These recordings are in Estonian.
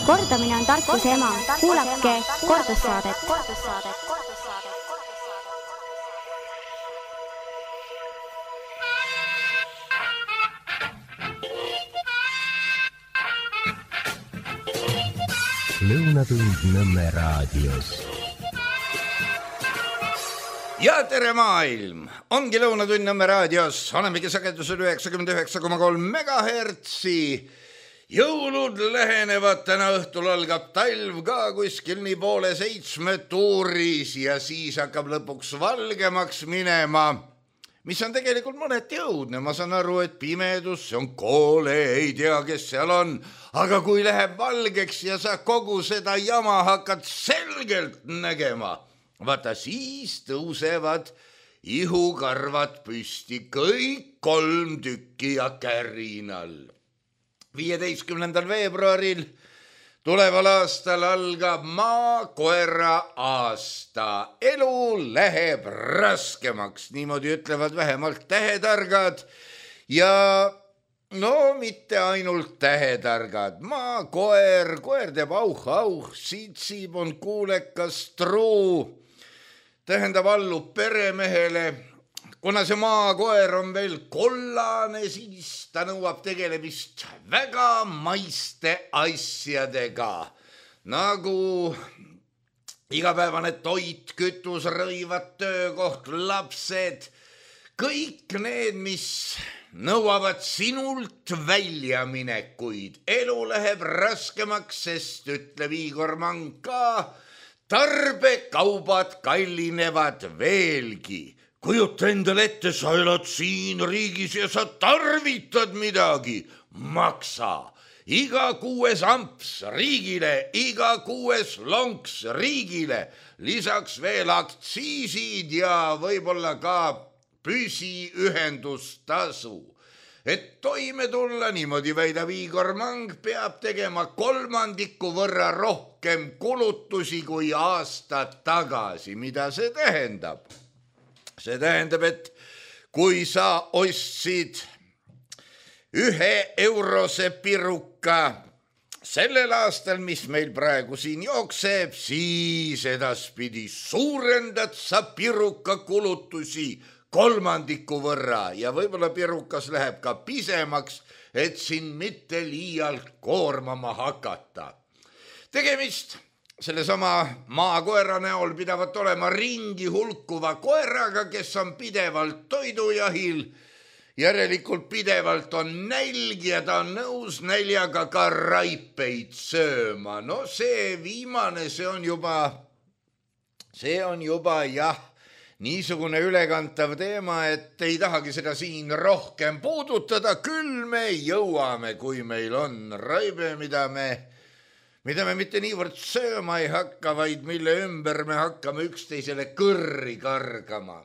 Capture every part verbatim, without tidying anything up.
Kordamine on tarkuse ema. Kuulake kordussaadet. Lõunatund Nõmme raadios. Ja tere maailm! Ongi Lõunatund Nõmme raadios. Olemegi sagedusel üheksakümmend üheksa koma kolm megahertsi. Jõulud lähenevad, täna õhtul algab talv ka kuskil nii poole seitsme tuuris ja siis hakkab lõpuks valgemaks minema, mis on tegelikult mõneti õudne. Ma saan aru, et pimedus, see on koole, ei tea, kes seal on, aga kui läheb valgeks ja sa kogu seda jama hakkad selgelt nägema, vaata siis tõusevad ihukarvad püsti, kõik kolm tükki ja kärinal. viieteistkümnendal veebruaril tuleval aastal algab maakoera aasta. Elu läheb raskemaks, niimoodi ütlevad vähemalt tähetargad ja no mitte ainult tähetargad. Maakoer, koer teeb auh-auh, siitsib, on kuulekas, truu, tähendab allub peremehele. Kuna see maakoer on veel kollane, siis ta nõuab tegelemist väga maiste asjadega, nagu igapäevane toit, kütus, rõivad, töökoht, lapsed, kõik need, mis nõuavad sinult väljaminekuid. Elu läheb raskemaks, sest ütleb Igor Mang ka, tarbekaubad kallinevad veelgi. Kujuta endale ette, sa elad siin riigis ja sa tarvitad midagi. Maksa. Iga kuues amps riigile, iga kuues lonks riigile. Lisaks veel aktsiisid ja võib-olla ka püsiühendustasu. Et toime tulla, niimoodi väidab Igor Mang, peab tegema kolmandiku võrra rohkem kulutusi kui aasta tagasi. Mida see tähendab? See tähendab, et kui sa ostsid ühe eurose piruka sellel aastal, mis meil praegu siin jookseb, siis edaspidi suurendad sa piruka kulutusi kolmandiku võrra ja võib-olla pirukas läheb ka pisemaks, et siin mitte liialt koormama hakata. Tegemist sellesama maakoera näol pidavat olema ringi hulkuva koeraga, kes on pidevalt toidujahil, järelikult pidevalt on nälg ja ta on nõus näljaga ka raipeid sööma. No see viimane, see on juba, see on juba jah, niisugune ülekantav teema, et ei tahagi seda siin rohkem puudutada, küll me jõuame, kui meil on raibe, mida me mida me mitte niivõrd sööma ei hakka, vaid mille ümber me hakkame üksteisele kõrri kargama.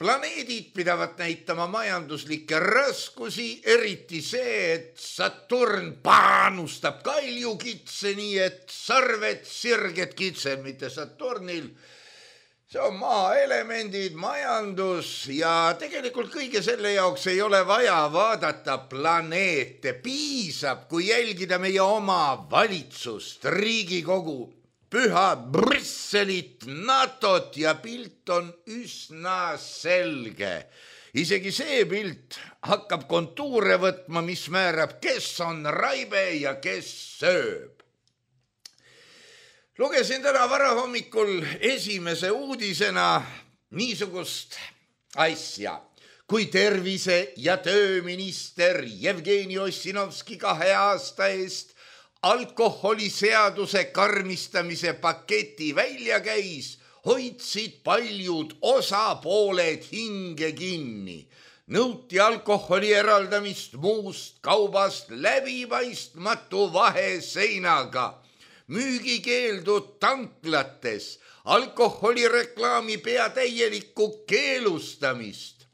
Planeedid pidavat näitama majanduslikke raskusi, eriti see, et Saturn paanustab kaljukitse, nii et sarved sirged kitsed, mitte Saturnil. See on maaelemendid, majandus ja tegelikult kõige selle jaoks ei ole vaja vaadata planeete. Piisab, kui jälgida meie oma valitsust, Riigikogu, püha Brüsselit, NATOt ja pilt on üsna selge. Isegi see pilt hakkab kontuure võtma, mis määrab, kes on raibe ja kes sööb. Lugesin täna varahommikul esimese uudisena niisugust asja, kui tervise- ja tööminister Jevgeni Ossinovski kahe aasta eest alkoholiseaduse karmistamise paketi välja käis, hoidsid paljud osapooled hinge kinni. Nõuti alkoholi eraldamist muust kaubast läbipaistmatu vaheseinaga. Müügikeeldud tanklates, alkoholireklaami peatäielikku keelustamist.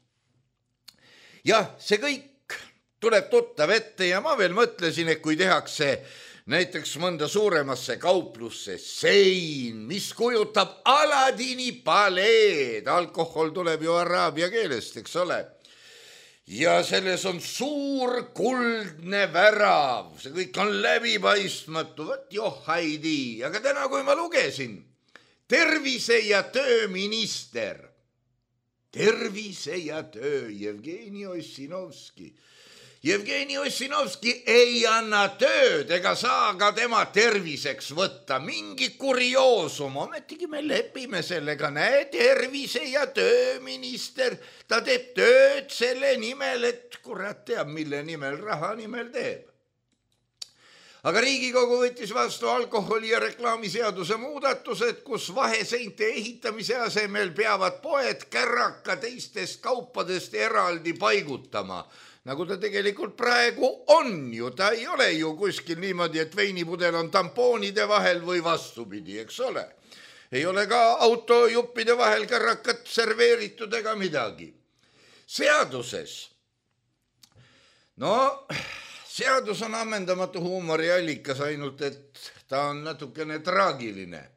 Jah, see kõik tuleb tuttav ette ja ma veel mõtlesin, et kui tehakse näiteks mõnda suuremasse kauplusse sein, mis kujutab Aladini paleed, alkohol tuleb ju araabia keelest, eks ole, ja selles on suur kuldne värav, see kõik on läbipaistmatu, võt johhaidi, aga täna, kui ma lugesin, tervise- ja tööminister, tervise- ja töö, Jevgeni Ossinovski. Jevgeni Ossinovski ei anna tööd ega saa ka tema terviseks võtta, mingi kurioosum, ometigi me lepime sellega, näe, tervise- ja tööminister, ta teeb tööd selle nimel, et kurat teab, mille nimel, raha nimel teeb. Aga Riigikogu võttis vastu alkoholi- ja reklaamiseaduse muudatused, kus vaheseinte ehitamise asemel peavad poed kärraka teistest kaupadest eraldi paigutama. Nagu ta tegelikult praegu on ju, ta ei ole ju kuskil niimoodi, et veinipudel on tampoonide vahel või vastupidi, eks ole. Ei ole ka autojuppide vahel kärrakat serveeritud ega midagi. Seaduses, no seadus on ammendamatu huumoriallikas, ainult et ta on natukene traagiline.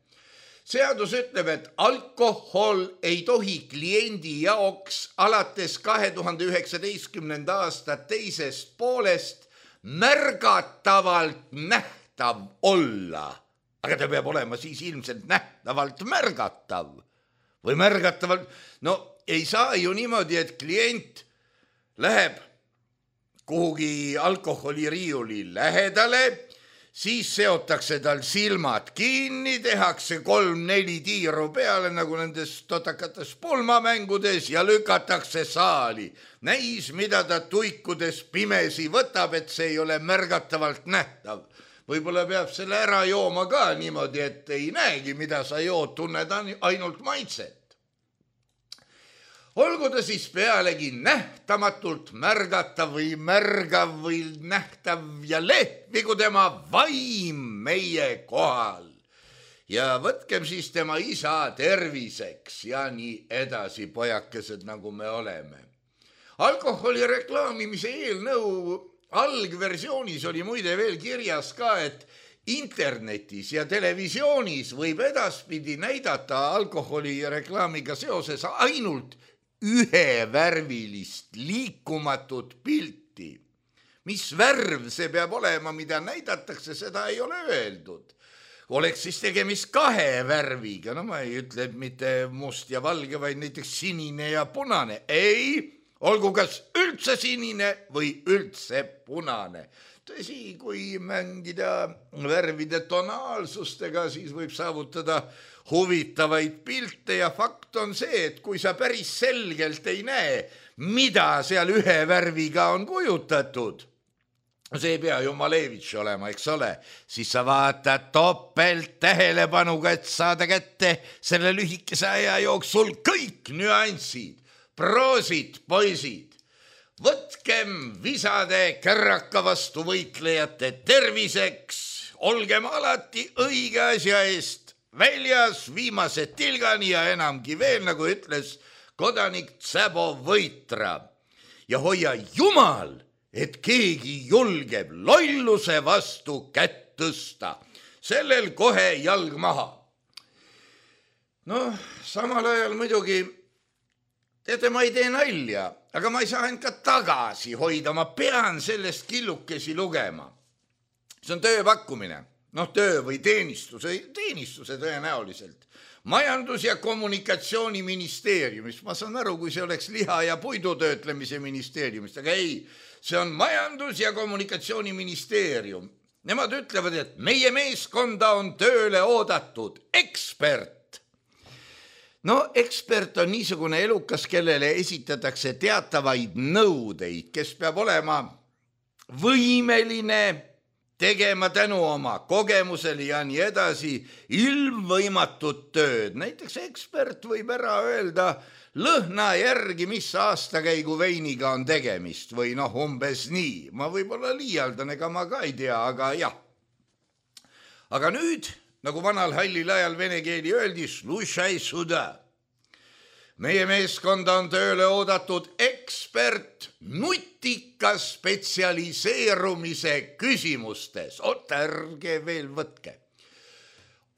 Seadus ütleb, et alkohol ei tohi kliendi jaoks alates kahe tuhande üheksateistkümnenda aasta teisest poolest märgatavalt nähtav olla. Aga ta peab olema siis ilmselt nähtavalt märgatav. Või märgatavalt, no ei saa ju niimoodi, et klient läheb kuhugi alkoholiriiuli lähedale, siis seotakse tal silmad kinni, tehakse kolm-neli tiiru peale, nagu nendes totakates pulmamängudes ja lükatakse saali. Näis, mida ta tuikudes pimesi võtab, et see ei ole märgatavalt nähtav. Võib-olla peab selle ära jooma ka niimoodi, et ei näegi, mida sa jood, tunned ainult maitset. Olgu ta siis pealegi nähtamatult märgatav või märgav või nähtav ja lehvigu tema vaim meie kohal. Ja võtkem siis tema isa terviseks ja nii edasi, pojakesed, nagu me oleme. Alkoholi reklaamimise eelnõu algversioonis oli muide veel kirjas ka, et internetis ja televisioonis võib edaspidi näidata alkoholi reklaamiga seoses ainult ühevärvilist liikumatut pilti. Mis värv see peab olema, mida näidatakse, seda ei ole öeldud. Oleks siis tegemist kahe värviga, no ma ei ütle, et mitte must ja valge, vaid näiteks sinine ja punane. Ei, olgu kas üldse sinine või üldse punane. Tõsi, kui mängida värvide tonaalsustega, siis võib saavutada huvitavaid pilte ja fakt on see, et kui sa päris selgelt ei näe, mida seal ühe värviga on kujutatud, see ei pea ju Malevitš olema, eks ole, siis sa vaatad topelt tähelepanuga, et saada kätte selle lühikese aja jooksul kõik nüansid. Proosid, poisid! Võtkem visade kärraka vastu võitlejate terviseks, olgem alati õige asja eest väljas viimased tilgani ja enamgi veel, nagu ütles kodanik Tsabo Võitra. Ja hoia jumal, et keegi julgeb lolluse vastu kätt tõsta. Sellel kohe jalg maha. Noh, samal ajal muidugi, teate, ma ei tee nalja, aga ma ei saa end ka tagasi hoida, ma pean sellest killukesi lugema. See on tööpakkumine, noh töö või teenistuse, teenistuse tõenäoliselt. Majandus- ja kommunikatsiooniministeeriumist, ma saan aru, kui see oleks liha- ja puidutöötlemise ministeeriumist, aga ei, see on Majandus- ja kommunikatsiooniministeerium. Nemad ütlevad, et meie meeskonda on tööle oodatud ekspert. No ekspert on niisugune elukas, kellele esitatakse teatavaid nõudeid, kes peab olema võimeline tegema tänu oma kogemusele ja nii edasi ilmvõimatut tööd. Näiteks ekspert võib ära öelda lõhna järgi, mis aastakäigu veiniga on tegemist või noh, umbes nii. Ma võib-olla liialdan, ega ma ka ei tea, aga jah. Aga nüüd, nagu vanal hallil ajal vene keeli öeldi, slušai suda. Meie meeskonda on tööle oodatud ekspert nutika spetsialiseerumise küsimustes. Oot, ärge veel võtke.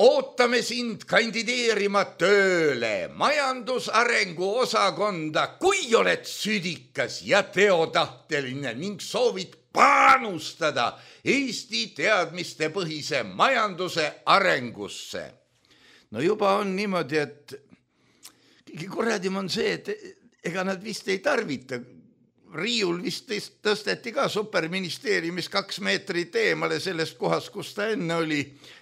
ootame sind kandideerima tööle majandusarengu osakonda, kui oled südikas ja teotahteline ning soovid panustada Eesti teadmiste põhise majanduse arengusse. No juba on niimoodi, et kõige korradim on see, et ega nad vist ei tarvita. Riiul vist tõsteti ka superministeeriumis kaks meetrit eemale sellest kohast, kus ta enne oli,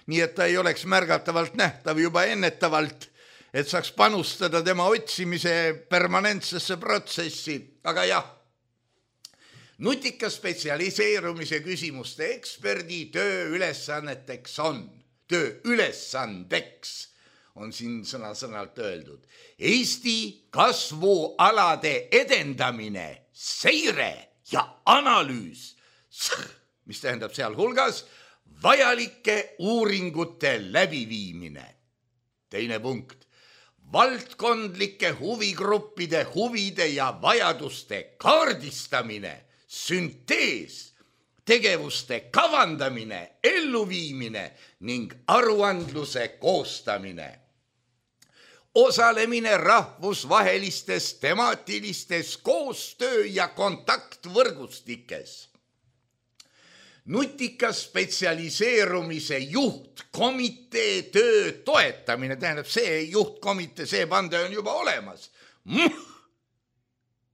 nii et ta ei oleks märgatavalt nähtav juba ennetavalt, et saaks panustada tema otsimise permanentsesse protsessi. Aga jah, nutika spetsialiseerumise küsimuste eksperdi töö ülesanneteks on, töö ülesandeks on siin sõna-sõnalt öeldud, Eesti kasvualade edendamine, seire ja analüüs, mis tähendab sealhulgas vajalike uuringute läbiviimine. Teine punkt, valdkondlike huvigruppide huvide ja vajaduste kaardistamine, süntees, tegevuste kavandamine, elluviimine ning aruandluse koostamine. Osalemine rahvusvahelistes temaatilistes koostöö- ja kontaktvõrgustikes. Nutika spetsialiseerumise juhtkomitee töö toetamine, tähendab see juhtkomitee, see pande on juba olemas. Mm.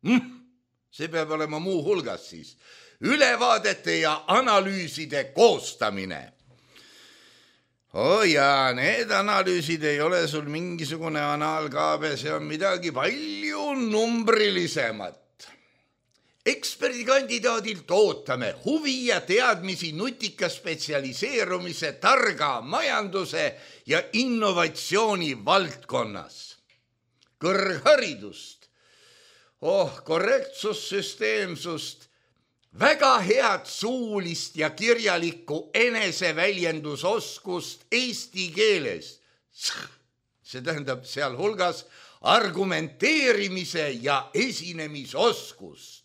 Mm. See peab olema muu hulgas siis. Ülevaadete ja analüüside koostamine. Oh ja, need analüüsid ei ole sul mingisugune anaalkaabe, see on midagi palju numbrilisemat. Eksperdikandidaadilt ootame huvi ja teadmisi nutika spetsialiseerumise, targa majanduse ja innovatsiooni valdkonnas. Kõrgharidust, oh, korrektsussüsteemsust, väga head suulist ja kirjalikku eneseväljendusoskust eesti keeles. See tähendab sealhulgas argumenteerimise ja esinemisoskust.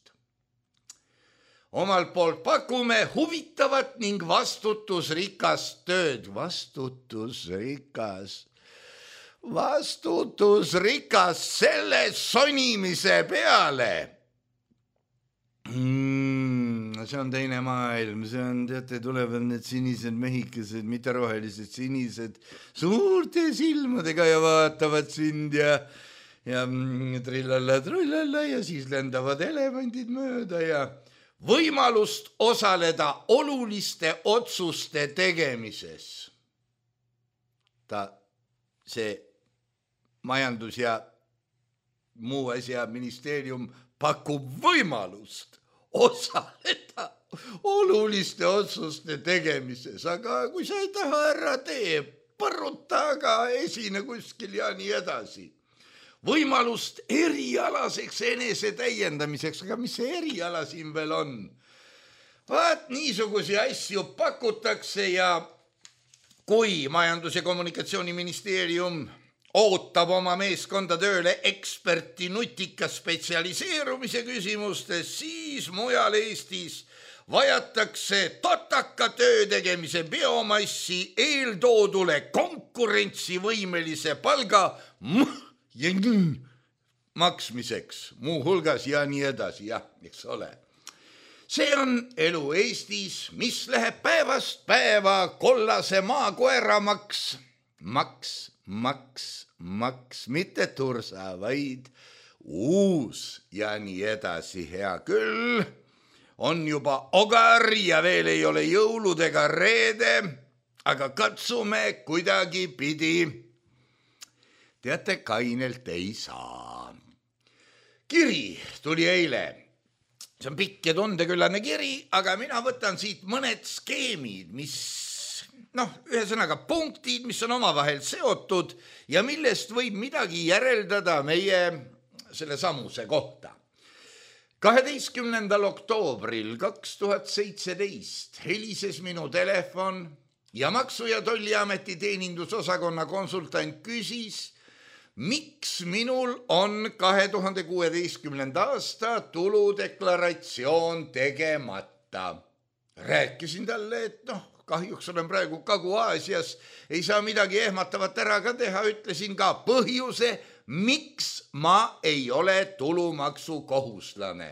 Omalt poolt pakume huvitavat ning vastutusrikast tööd. Vastutusrikas. Vastutusrikas selle sonimise peale. Mm, see on teine maailm, see on, teate, tulevad need sinised mehikesed, mitte rohelised, sinised, suurte silmadega ja vaatavad sind ja, ja trillalla, trullalla ja siis lendavad elevandid mööda ja võimalust osaleda oluliste otsuste tegemises. Ta, see majandus ja muu asja ministeerium pakub võimalust osaleda oluliste otsuste tegemises, aga kui sa ei taha ära tee, põruta, aga esine kuskil ja nii edasi. Võimalust erialaseks enese täiendamiseks, aga mis see eriala siin veel on? Vaat niisugusi asju pakutakse ja kui Majandus- ja Kommunikatsiooniministeerium ootab oma meeskonda tööle eksperti nutika spetsialiseerumise küsimustes, siis mujal Eestis vajatakse totaka töö tegemise biomassi eeltoodule konkurentsivõimelise palga maksmiseks, muu hulgas ja nii edasi, jah, eks ole. See on elu Eestis, mis läheb päevast päeva kollase maakoeramaks, maks, maks, maks, mitte tursa, vaid uus ja nii edasi. Hea küll, on juba ogar ja veel ei ole jõulud ega reede, aga katsume kuidagi pidi. Teate, kainelt ei saa. Kiri tuli eile. See on pikk ja tundeküllane kiri, aga mina võtan siit mõned skeemid, mis noh, ühesõnaga punktid, mis on omavahel seotud ja millest võib midagi järeldada meie selle samuse kohta. kaheteistkümnendal oktoobril kaks tuhat seitseteist helises minu telefon ja Maksu- ja Tolliameti teenindusosakonna konsultant küsis, miks minul on kahe tuhande kuueteistkümnenda aasta tuludeklaratsioon tegemata. rääkisin talle, et noh, kahjuks olen praegu Kagu-Aasias, ei saa midagi ehmatavat ära ka teha, ütlesin ka põhjuse, miks ma ei ole tulumaksu kohuslane.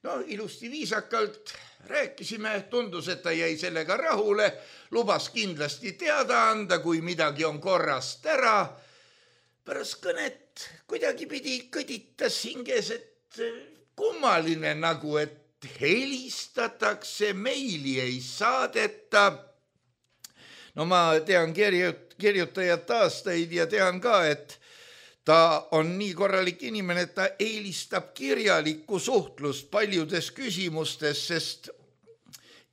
No ilusti viisakalt rääkisime, tundus, et ta jäi sellega rahule, lubas kindlasti teada anda, kui midagi on korrast ära. Pärast kõnet kuidagi pidi kõditas hinges, et kummaline nagu, et helistatakse, meili ei saadeta. No ma tean kirjut, kirjutajat aastaid ja tean ka, et ta on nii korralik inimene, et ta eelistab kirjalikku suhtlust paljudes küsimustes, sest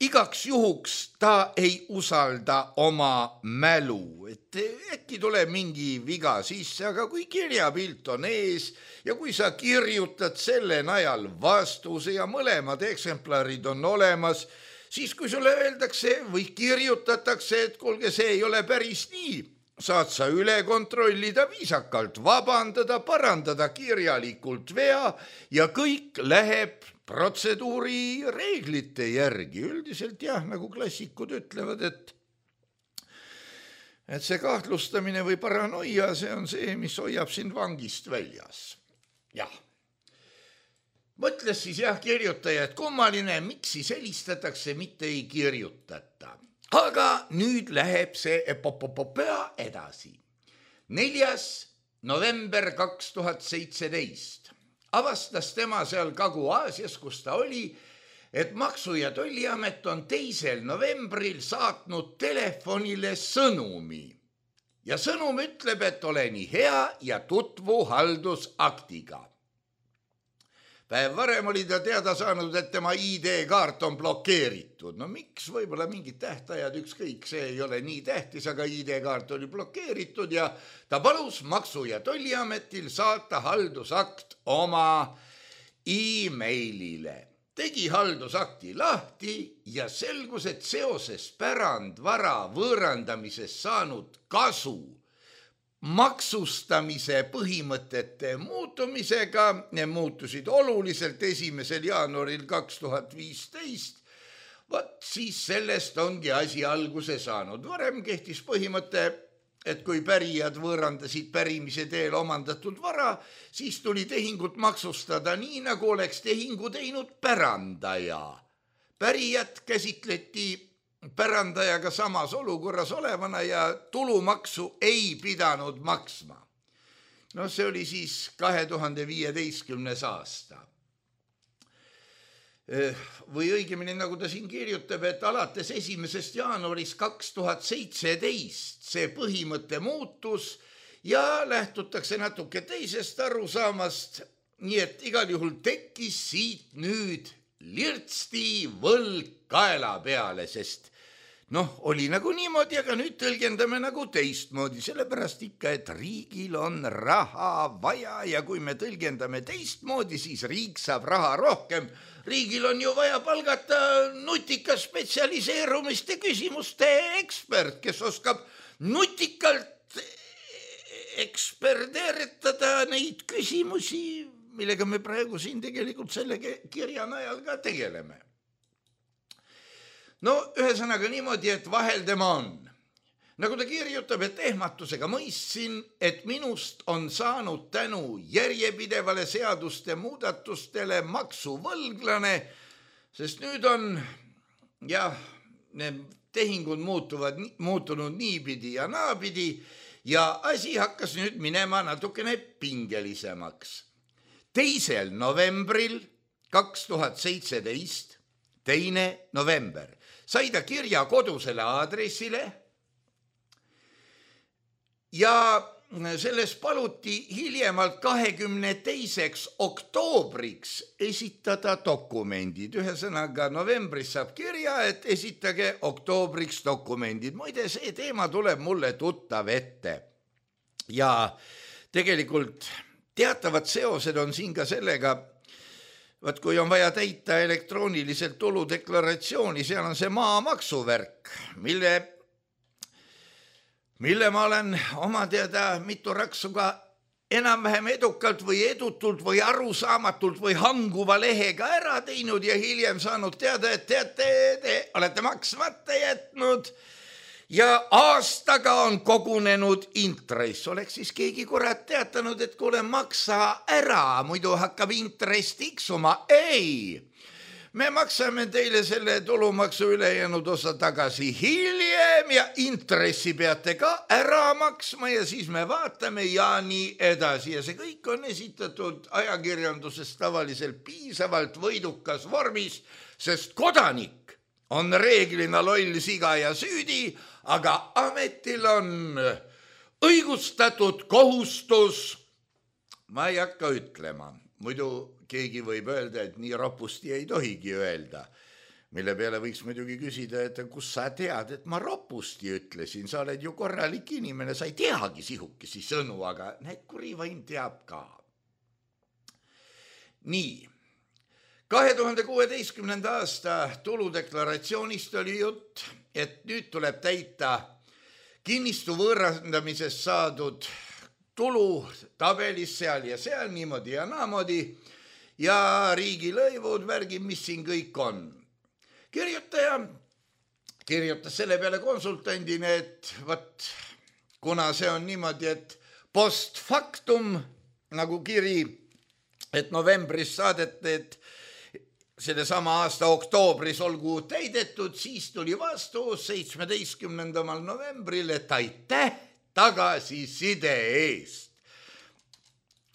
igaks juhuks ta ei usalda oma mälu, et äkki tuleb mingi viga sisse, aga kui kirjapilt on ees ja kui sa kirjutad selle najal vastuse ja mõlemad eksemplarid on olemas, siis kui sulle öeldakse või kirjutatakse, et kuulge, see ei ole päris nii, saad sa üle kontrollida viisakalt, vabandada, parandada kirjalikult vea ja kõik läheb protseduuri reeglite järgi. Üldiselt jah, nagu klassikud ütlevad, et et see kahtlustamine või paranoia, see on see, mis hoiab sind vangist väljas. Jah. Mõtles siis jah kirjutaja, et kummaline, miks siis helistatakse, mitte ei kirjutata. Aga nüüd läheb see epopopopea edasi. neljas november kaks tuhat seitseteist avastas tema seal Kagu-Aasias, kus ta oli, et Maksu- ja Tolliamet on teisel novembril saatnud telefonile sõnumi. Ja sõnum ütleb, et ole nii hea ja tutvu haldusaktiga. Päev varem oli ta teada saanud, et tema I D-kaart on blokeeritud. No miks? Võib-olla mingid tähtajad, ükskõik, see ei ole nii tähtis, aga I D-kaart oli blokeeritud ja ta palus Maksu- ja Tolliametil saata haldusakt oma e-mailile. Tegi haldusakti lahti ja selgus, et seoses pärandvara võõrandamisest saanud kasu maksustamise põhimõtete muutumisega, ne muutusid oluliselt esimesel jaanuaril kaks tuhat viisteist, vaat siis sellest ongi asi alguse saanud. Varem kehtis põhimõte, et kui pärijad võõrandasid pärimise teel omandatud vara, siis tuli tehingut maksustada nii, nagu oleks tehingu teinud pärandaja. Pärijat käsitleti pärandajaga samas olukorras olevana ja tulumaksu ei pidanud maksma. No see oli siis kahe tuhande viieteistkümnes aasta. Või õigemini, nagu ta siin kirjutab, et alates esimesest jaanuarist kaks tuhat seitseteist see põhimõte muutus ja lähtutakse natuke teisest arusaamast, nii et igal juhul tekkis siit nüüd lirtsti võlg kaela peale, sest noh, oli nagu niimoodi, aga nüüd tõlgendame nagu teistmoodi, sellepärast ikka, et riigil on raha vaja ja kui me tõlgendame teistmoodi, siis riik saab raha rohkem. Riigil on ju vaja palgata nutika spetsialiseerumiste küsimuste ekspert, kes oskab nutikalt eksperdeeritada neid küsimusi, millega me praegu siin tegelikult selle kirja najal ka tegeleme. No ühesõnaga niimoodi, et vahel tema on. Nagu ta kirjutab, et ehmatusega mõistsin, et minust on saanud tänu järjepidevale seaduste muudatustele maksuvõlglane, sest nüüd on, jah, need tehingud muutuvad, muutunud niipidi ja naapidi ja asi hakkas nüüd minema natukene pingelisemaks. teisel novembril kaks tuhat seitseteist, teine november, sai ta kirja kodusele aadressile ja selles paluti hiljemalt kahekümne teiseks oktoobriks esitada dokumendid. Ühesõnaga novembris saab kirja, et esitage oktoobriks dokumendid. Muide, see teema tuleb mulle tuttav ette. Ja tegelikult teatavad seosed on siin ka sellega, vaat kui on vaja täita elektrooniliselt tuludeklaratsiooni, seal on see maamaksuvärk, mille, mille ma olen oma teada mitu raksu ka enam-vähem edukalt või edutult või arusaamatult või hanguva lehega ära teinud ja hiljem saanud teada, et teate, te olete maksmata jätnud ja aastaga on kogunenud intress. Oleks siis keegi kurat teatanud, et kuule, maksa ära, muidu hakkab intress tiksuma. Ei! Me maksame teile selle tulumaksu ülejäänud osa tagasi hiljem ja intressi peate ka ära maksma ja siis me vaatame ja nii edasi. Ja see kõik on esitatud ajakirjanduses tavaliselt piisavalt võidukas vormis, sest kodanik on reeglina loll, siga ja süüdi, aga ametil on õigustatud kohustus. Ma ei hakka ütlema, muidu keegi võib öelda, et nii ropusti ei tohigi öelda, mille peale võiks muidugi küsida, et kus sa tead, et ma ropusti ütlesin, sa oled ju korralik inimene, sa ei teagi sihukesi sõnu, aga näed, kuri vaim teab ka. Nii, kahe tuhande kuueteistkümnenda aasta tuludeklaratsioonist oli jutt, et nüüd tuleb täita kinnistu võõrandamisest saadud tulu tabelis seal ja seal niimoodi ja naamodi ja riigilõivud, värgid, mis siin kõik on. Kirjutaja kirjutas selle peale konsultandina, et võt, kuna see on niimoodi, et post factum nagu kiri, et novembris saadeti, et selle sama aasta oktoobris olgu täidetud, siis tuli vastus seitsmeteistkümnendal novembril, et aitäh tagasiside eest.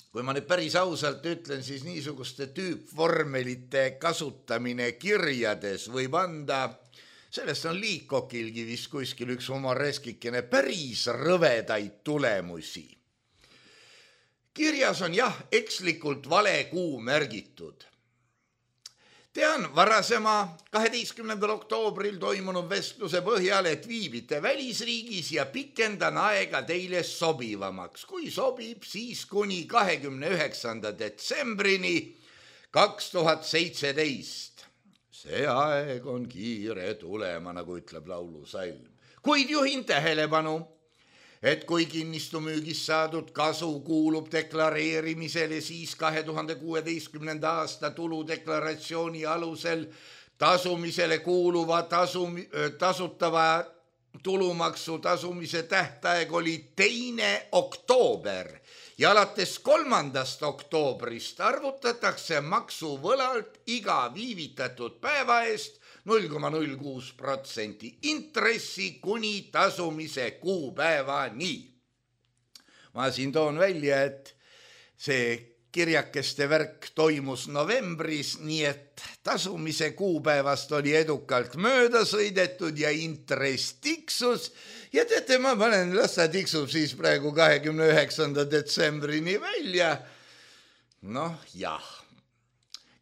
Kui ma nüüd päris ausalt ütlen, siis niisuguste tüüpvormelite kasutamine kirjades võib anda, sellest on Liikokilgi vist kuskil üks humoreskikene päris rõvedaid tulemusi. Kirjas on jah, ekslikult vale kuu märgitud. Tean varasema kaheteistkümnendal oktoobril toimunud vestluse põhjal, et viibite välisriigis ja pikendan aega teile sobivamaks. Kui sobib, siis kuni kahekümne üheksanda detsembrini kaks tuhat seitseteist. See aeg on kiire tulema, nagu ütleb laulusalm. Kuid juhin tähelepanu, et kui kinnistumüügis saadud kasu kuulub deklareerimisele, siis kahe tuhande kuueteistkümnenda aasta tuludeklaratsiooni alusel tasumisele kuuluva tasu, tasutava tulumaksu tasumise tähtaeg oli teine oktoober ja alates kolmandast oktoobrist arvutatakse maksuvõlalt iga viivitatud päeva eest null koma null kuus protsenti intressi kuni tasumise kuupäevani. Ma siin toon välja, et see kirjakeste värk toimus novembris, nii et tasumise kuupäevast oli edukalt mööda sõidetud ja intress tiksus. Ja teate, ma panen, las ta tiksub siis praegu kahekümne üheksanda detsembrini välja. Noh, jah.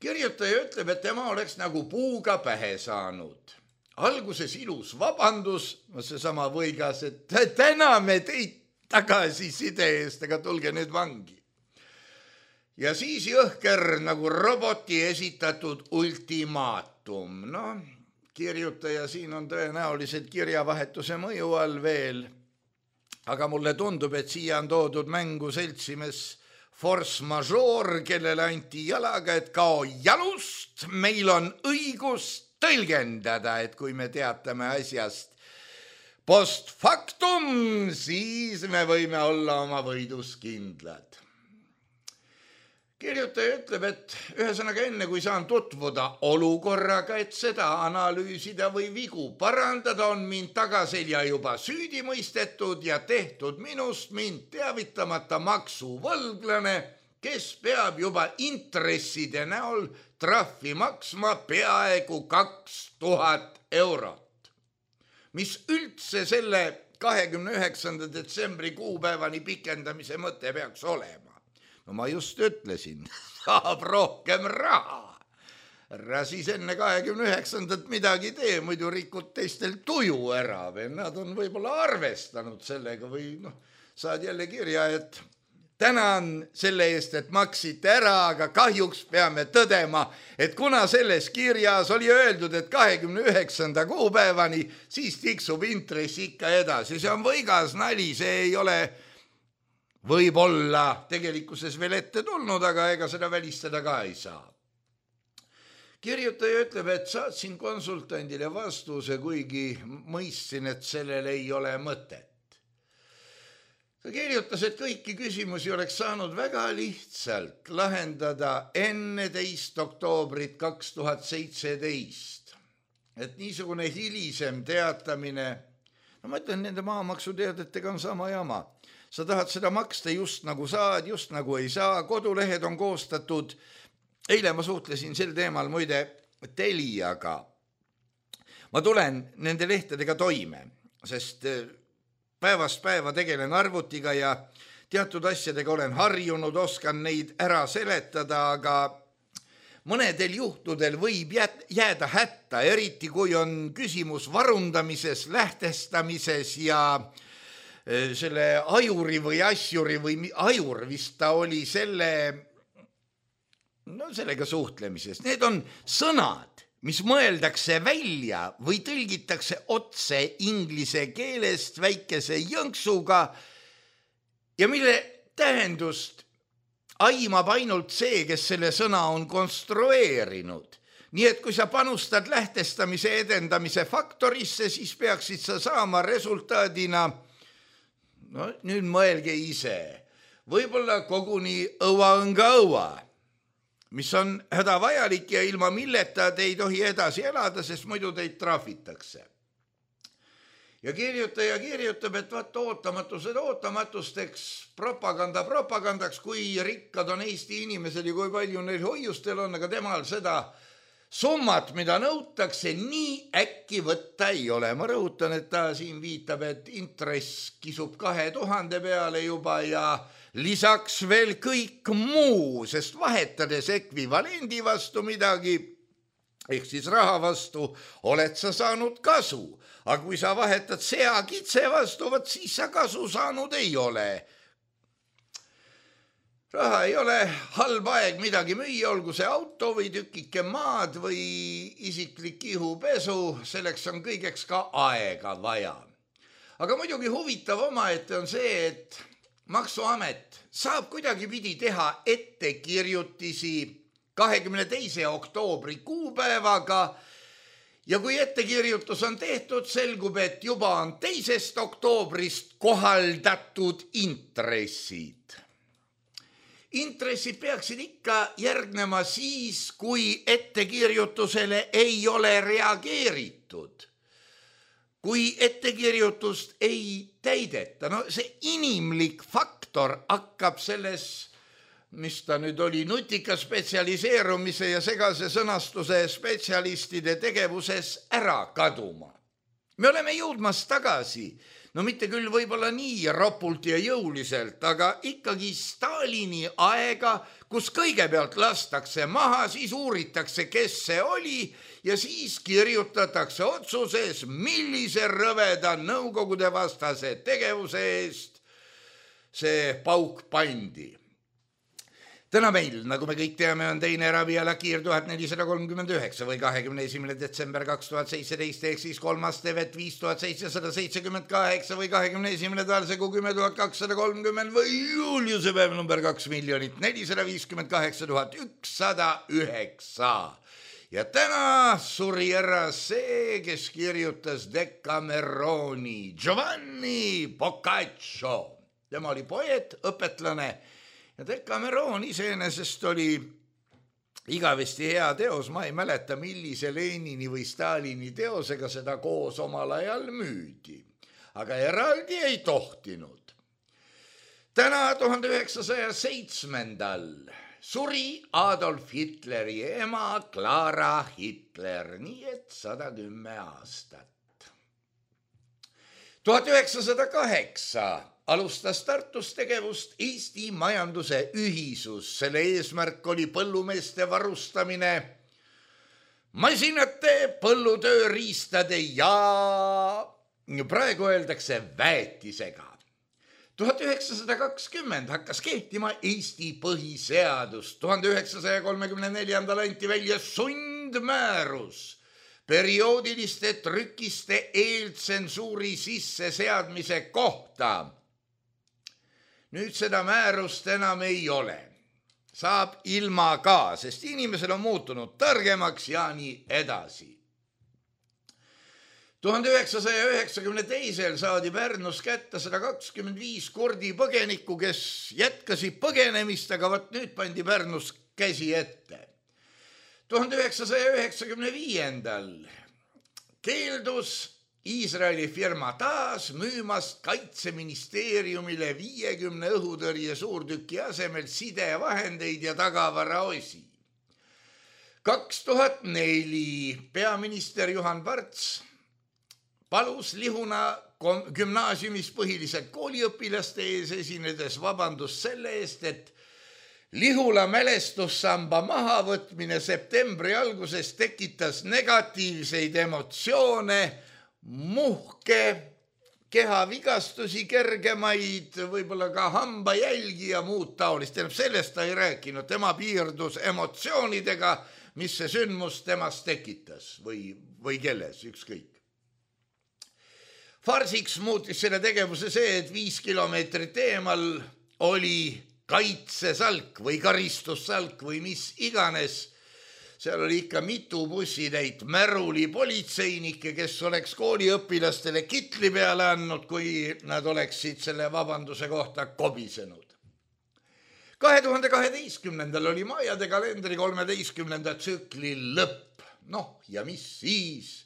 Kirjutaja ütleb, et tema oleks nagu puuga pähe saanud. Alguses ilus vabandus, seesama võigas, et täname teid tagasiside eest, aga tulge nüüd vangi. Ja siis jõhker nagu roboti esitatud ultimaatum. No, kirjutaja siin on tõenäoliselt kirjavahetuse mõju all veel, aga mulle tundub, et siia on toodud mängu seltsimes force majeure, kellele anti jalaga, et kao jalust, meil on õigus tõlgendada, et kui me teatame asjast post factum, siis me võime olla oma võidus kindlad. Kirjutaja ütleb, et ühesõnaga enne, kui saan tutvuda olukorraga, et seda analüüsida või vigu parandada, on mind tagaselja juba süüdi mõistetud ja tehtud minust mind teavitamata maksuvõlglane, kes peab juba intresside näol trahvi maksma peaaegu kaks tuhat eurot. Mis üldse selle kahekümne üheksanda detsembri kuupäevani pikendamise mõte peaks olema? No ma just ütlesin, saab rohkem raha. Ära siis enne kahekümne üheksandat midagi tee, muidu rikud teistel tuju ära või nad on võib-olla arvestanud sellega või noh, saad jälle kirja, et tänan selle eest, et maksite ära, aga kahjuks peame tõdema, et kuna selles kirjas oli öeldud, et kahekümne üheksanda kuupäevani, siis tiksub intress ikka edasi. See on võigas nali, see ei ole võib-olla tegelikkuses veel ette tulnud, aga ega seda välistada ka ei saa. Kirjutaja ütleb, et saatsin konsultandile vastuse, kuigi mõistsin, et sellel ei ole mõtet. Ta kirjutas, et kõiki küsimusi oleks saanud väga lihtsalt lahendada enne teist oktoobrit kaks tuhat seitseteist. Et niisugune hilisem teatamine, no ma ütlen, nende maamaksuteadetega on sama jama. Sa tahad seda maksta just nagu saad, just nagu ei saa, kodulehed on koostatud. Eile ma suhtlesin sel teemal muide Teliaga. Ma tulen nende lehtedega toime, sest päevast päeva tegelen arvutiga ja teatud asjadega olen harjunud, oskan neid ära seletada, aga mõnedel juhtudel võib jääda hätta, eriti kui on küsimus varundamises, lähtestamises ja selle ajuri või asjuri või ajur vist ta oli selle, no sellega suhtlemises. Need on sõnad, mis mõeldakse välja või tõlgitakse otse inglise keelest väikese jõnksuga ja mille tähendust aimab ainult see, kes selle sõna on konstrueerinud. Nii et kui sa panustad lähtestamise edendamise faktorisse, siis peaksid sa saama resultaadina, no nüüd mõelge ise, võib-olla koguni õua on ka õua, mis on hädavajalik ja ilma milleta te ei tohi edasi elada, sest muidu teid trahvitakse. Ja kirjutaja kirjutab, et vaat ootamatused ootamatusteks, propaganda propagandaks, kui rikkad on Eesti inimesed ja kui palju neil hoiustel on, aga temal seda summat, mida nõutakse, nii äkki võtta ei ole. Ma rõhutan, et ta siin viitab, et intress kisub kahe tuhande peale juba ja lisaks veel kõik muu, sest vahetades ekvivalendi vastu midagi, ehk siis raha vastu, oled sa saanud kasu. Aga kui sa vahetad sea kitse vastu, võt siis sa kasu saanud ei ole. Raha ei ole halb aeg midagi müüa, olgu see auto või tükike maad või isiklik ihupesu, selleks on kõigeks ka aega vaja. Aga muidugi huvitav omaette on see, et Maksuamet saab kuidagi pidi teha ettekirjutisi kahekümne teise oktoobri kuupäevaga ja kui ettekirjutus on tehtud, selgub, et juba on teisest oktoobrist kohaldatud intressid. Intressid peaksid ikka järgnema siis, kui ettekirjutusele ei ole reageeritud. Kui ettekirjutust ei täideta, no see inimlik faktor hakkab selles, mis ta nüüd oli, nutika spetsialiseerumise ja segase sõnastuse spetsialistide tegevuses ära kaduma. Me oleme jõudmas tagasi, no mitte küll võib-olla nii ropult ja jõuliselt, aga ikkagi Stalini aega, kus kõigepealt lastakse maha, siis uuritakse, kes see oli ja siis kirjutatakse otsuses, millise rõveda nõukogude vastase tegevuse eest see pauk pandi. Täna meil, nagu me kõik teame, on teine Rabi Alakiir tuhat nelisada kolmkümmend üheksa või kahekümne esimene detsember kaks tuhat seitseteist ehk siis kolmas tevet viis tuhat seitsesada seitsekümmend kaheksa või kahekümne esimene talsegu kümme tuhat kakssada kolmkümmend või juuliuse päev number kaks miljonit nelisada viiskümmend kaheksa tuhat ükssada üheksa. Ja täna suri ära see, kes kirjutas Decameroni, Giovanni Boccaccio. Tema oli poeet, õpetlane. Ja Decameron iseenesest oli igavesti hea teos, ma ei mäleta, millise Lenini või Stalini teosega seda koos omal ajal müüdi, aga eraldi ei tohtinud. Täna tuhande üheksasaja seitsmendal suri Adolf Hitleri ema Clara Hitler, nii et sada kümme aastat. tuhat üheksasada kaheksa alustas Tartus tegevust Eesti majanduse ühisus. Selle eesmärk oli põllumeeste varustamine masinate, põllutööriistade ja praegu öeldakse väetisega. tuhat üheksasada kakskümmend hakkas kehtima Eesti põhiseadus. tuhande üheksasaja kolmekümne neljandal anti välja sundmäärus perioodiliste trükiste eeltsensuuri sisseseadmise kohta. nüüd seda määrust enam ei ole. Saab ilma ka, sest inimesel on muutunud targemaks ja nii edasi. tuhande üheksasaja üheksakümne teisel saadi Pärnus kätte sada kakskümmend viis kurdi põgenikku, kes jätkasid põgenemist, aga võt nüüd pandi Pärnus käsi ette. tuhande üheksasaja üheksakümne viiendal keeldus Iisraeli firma taas müümast Kaitseministeeriumile viiekümne õhutõrje suurtüki asemel sidevahendeid ja tagavaraosi. kaks tuhat neli peaminister Juhan Parts palus Lihuna gümnaasiumis põhiliselt kooliõpilaste ees esinedes vabandust selle eest, et Lihula mälestussamba mahavõtmine septembri alguses tekitas negatiivseid emotsioone, muhke, kehavigastusi kergemaid, võib-olla ka hambajälgi ja muud taolist. Sellest ta ei rääkinud, tema piirdus emotsioonidega, mis see sündmus temast tekitas või, või kelles, ükskõik. Farsiks muutis selle tegevuse see, et viis kilomeetrit eemal oli kaitsesalk või karistussalk või mis iganes. Seal oli ikka mitu bussitäit märuli politseinikke, kes oleks kooliõpilastele kitli peale andnud, kui nad oleksid selle vabanduse kohta kobisenud. kahe tuhande kaheteistkümnendal oli Maiade kalendri kolmeteistkümnenda tsükli lõpp. Noh, ja mis siis?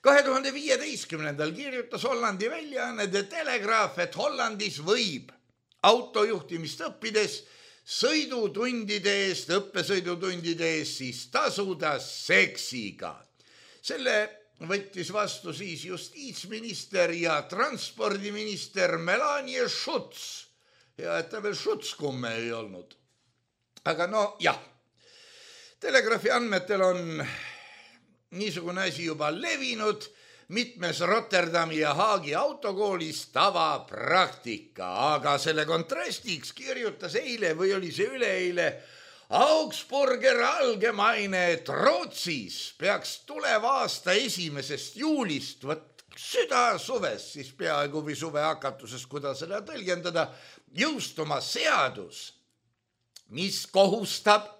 kahe tuhande viieteistkümnendal kirjutas Hollandi väljaanne The Telegraph, et Hollandis võib autojuhtimist õppides sõidutundide eest, õppesõidutundide eest siis tasuda seksiga. Selle võttis vastu siis justiitsminister ja transpordiminister Melania Schutz. Ja et ta veel Schutzkumme ei olnud. Aga no jah, Telegraafi andmetel on niisugune asi juba levinud mitmes Rotterdami ja Haagi autokoolis tavapraktika, aga selle kontrastiks kirjutas eile või oli see üleeile Augsburger Allgemeine, et Rootsis peaks tuleva aasta esimesest juulist, võt süda suvest, siis peaaegu või suve hakatusest, kuidas seda tõlgendada, jõustuma seadus, mis kohustab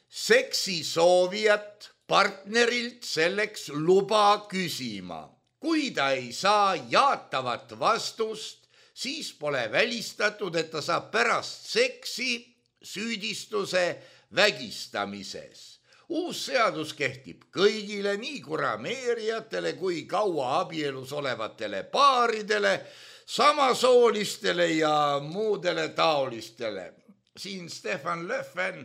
seksisoovijat partnerilt selleks luba küsima. Kui ta ei saa jaatavat vastust, siis pole välistatud, et ta saab pärast seksi süüdistuse vägistamises. Uus seadus kehtib kõigile, nii kurameerijatele kui kaua abielus olevatele paaridele, samasoolistele ja muudele taolistele. Siin Stefan Löfven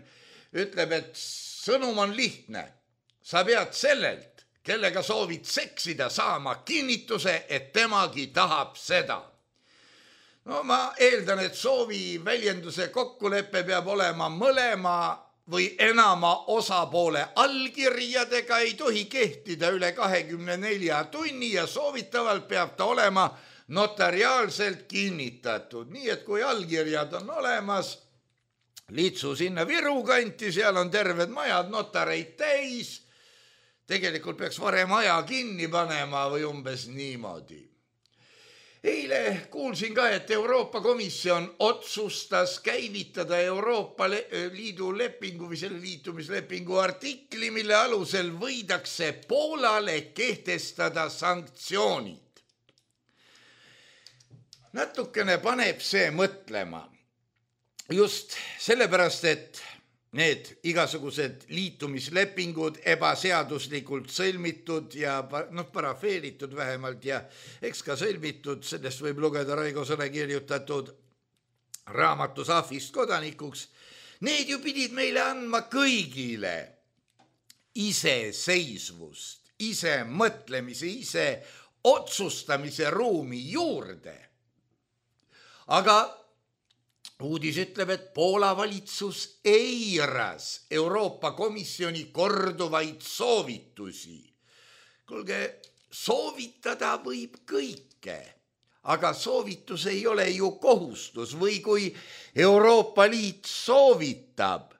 ütleb, et sõnum on lihtne. Sa pead sellelt, kellega soovid seksida, saama kinnituse, et temagi tahab seda. No ma eeldan, et soovi väljenduse kokkulepe peab olema mõlema või enama osapoole allkirjadega, ei tohi kehtida üle kahekümne nelja tunni ja soovitavalt peab ta olema notariaalselt kinnitatud. Nii et kui allkirjad on olemas, litsu sinna Viru kanti, seal on terved majad notareid täis. Tegelikult peaks varem aja kinni panema või umbes niimoodi. Eile kuulsin ka, et Euroopa Komisjon otsustas käivitada Euroopa Liidu lepingu või selle liitumislepingu artikli, mille alusel võidakse Poolale kehtestada sanktsioonid. Natukene paneb see mõtlema. Just sellepärast, et need igasugused liitumislepingud ebaseaduslikult sõlmitud ja noh, parafeeritud vähemalt ja eks ka sõlmitud, sellest võib lugeda Raigo Sõle kirjutatud raamatus Ahvist kodanikuks, need ju pidid meile andma kõigile iseseisvust, ise mõtlemise, ise otsustamise ruumi juurde. Aga uudis ütleb, et Poola valitsus eiras Euroopa Komisjoni korduvaid soovitusi. Kuulge, soovitada võib kõike, aga soovitus ei ole ju kohustus või kui Euroopa Liit soovitab,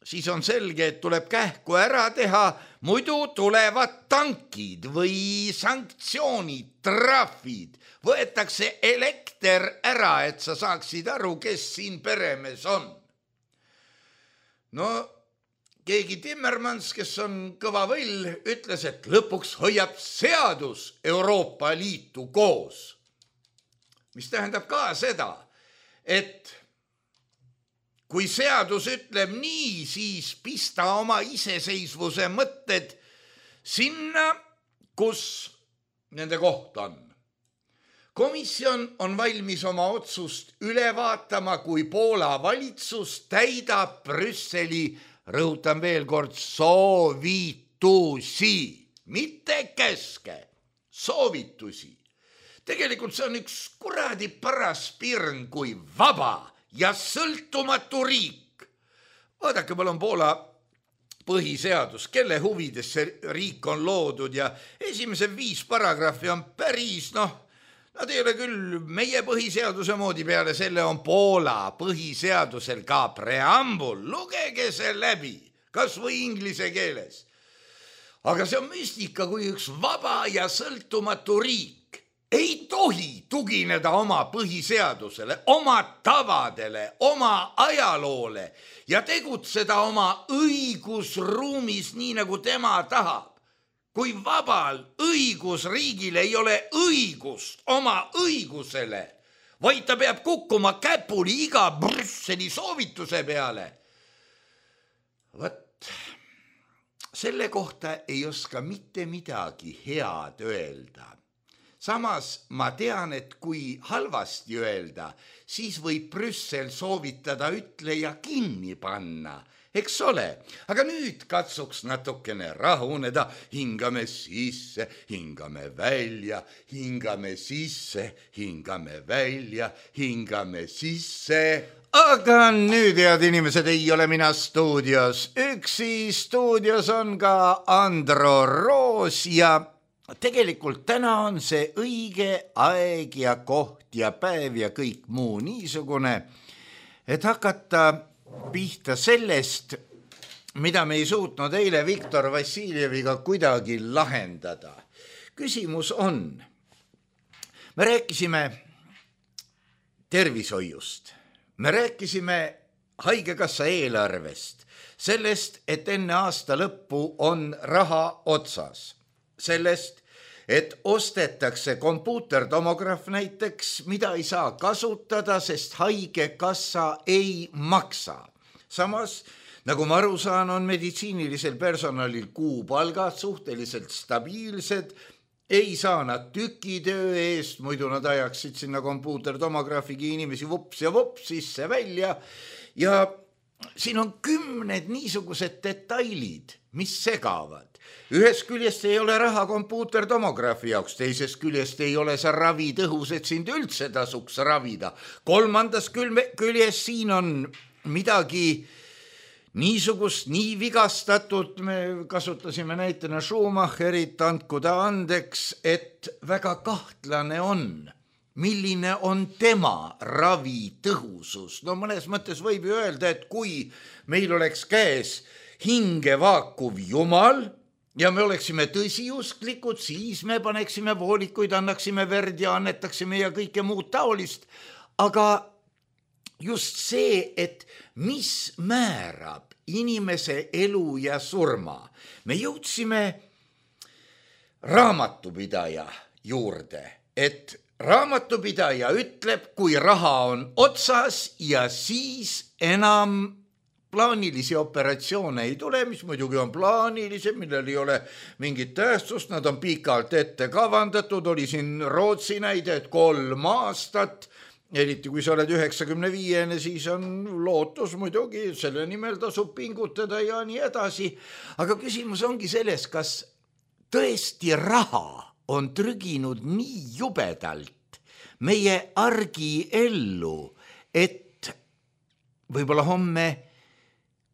siis on selge, et tuleb kähku ära teha, muidu tulevad tankid või sanktsioonid, trahvid, võetakse elekter ära, et sa saaksid aru, kes siin peremees on. No keegi Timmermans, kes on kõva võll, ütles, et lõpuks hoiab seadus Euroopa Liitu koos. Mis tähendab ka seda, et kui seadus ütleb nii, siis pista oma iseseisvuse mõtted sinna, kus nende koht on. Komisjon on valmis oma otsust üle vaatama, kui Poola valitsus täidab Brüsseli, rõhutan veel kord, soovitusi, mitte käske, soovitusi. Tegelikult see on üks kuradi paras pirn kui vaba ja sõltumatu riik. Vaadake, mul on Poola põhiseadus, kelle huvides see riik on loodud ja esimese viis paragrahvi on päris, noh, nad ei ole küll meie põhiseaduse moodi, peale selle on Poola põhiseadusel ka preambul, lugege see läbi, kas või inglise keeles. Aga see on müstika, kui üks vaba ja sõltumatu riik ei tohi tugineda oma põhiseadusele, oma tavadele, oma ajaloole ja tegutseda oma õigusruumis nii, nagu tema tahab. Kui vabal õigusriigil ei ole õigust oma õigusele, vaid ta peab kukkuma käpuli iga Brüsseli soovituse peale. Võt, selle kohta ei oska mitte midagi head öelda. Samas ma tean, et kui halvasti öelda, siis võib Brüssel soovitada ütleja kinni panna, eks ole. Aga nüüd katsuks natukene rahuneda, hingame sisse, hingame välja, hingame sisse, hingame välja, hingame sisse. Aga nüüd, head inimesed, ei ole mina stuudios. Üksi stuudios on ka Andro Roos ja tegelikult täna on see õige aeg ja koht ja päev ja kõik muu niisugune, et hakata pihta sellest, mida me ei suutnud eile Viktor Vassiljeviga kuidagi lahendada. Küsimus on, me rääkisime tervishoiust, me rääkisime haigekassa eelarvest, sellest, et enne aasta lõppu on raha otsas, sellest, et ostetakse kompuutertomograaf näiteks, mida ei saa kasutada, sest haigekassa ei maksa. Samas, nagu ma aru saan, on meditsiinilisel personalil kuupalgad suhteliselt stabiilsed, ei saa nad tükitöö eest, muidu nad ajaksid sinna kompuutertomograafigi inimesi vups ja vups sisse välja ja siin on kümned niisugused detailid, mis segavad. Ühest küljest ei ole raha kompuutertomograafi jaoks, teisest küljest ei ole see ravi tõhus, et sind üldse tasuks ravida. Kolmandas küljest siin on midagi niisugust, nii vigastatud, me kasutasime näitena Schumacherit, andku ta andeks, et väga kahtlane on, milline on tema ravi tõhusus. No mõnes mõttes võib ju öelda, et kui meil oleks käes hinge vaakuv jumal ja me oleksime tõsiusklikud, siis me paneksime voolikuid, annaksime verd ja annetaksime ja kõike muud taolist. Aga just see, et mis määrab inimese elu ja surma. Me jõudsime raamatupidaja juurde, et raamatupidaja ütleb, kui raha on otsas ja siis enam plaanilisi operatsioone ei tule, mis muidugi on plaanilised, millel ei ole mingit tähtsust, nad on pikalt ette kavandatud, oli siin Rootsi näide, et kolm aastat, eriti kui sa oled üheksakümne viiene, siis on lootus muidugi, selle nimel tasub pingutada ja nii edasi. Aga küsimus ongi selles, kas tõesti raha on trüginud nii jubedalt meie argi ellu, et võib-olla homme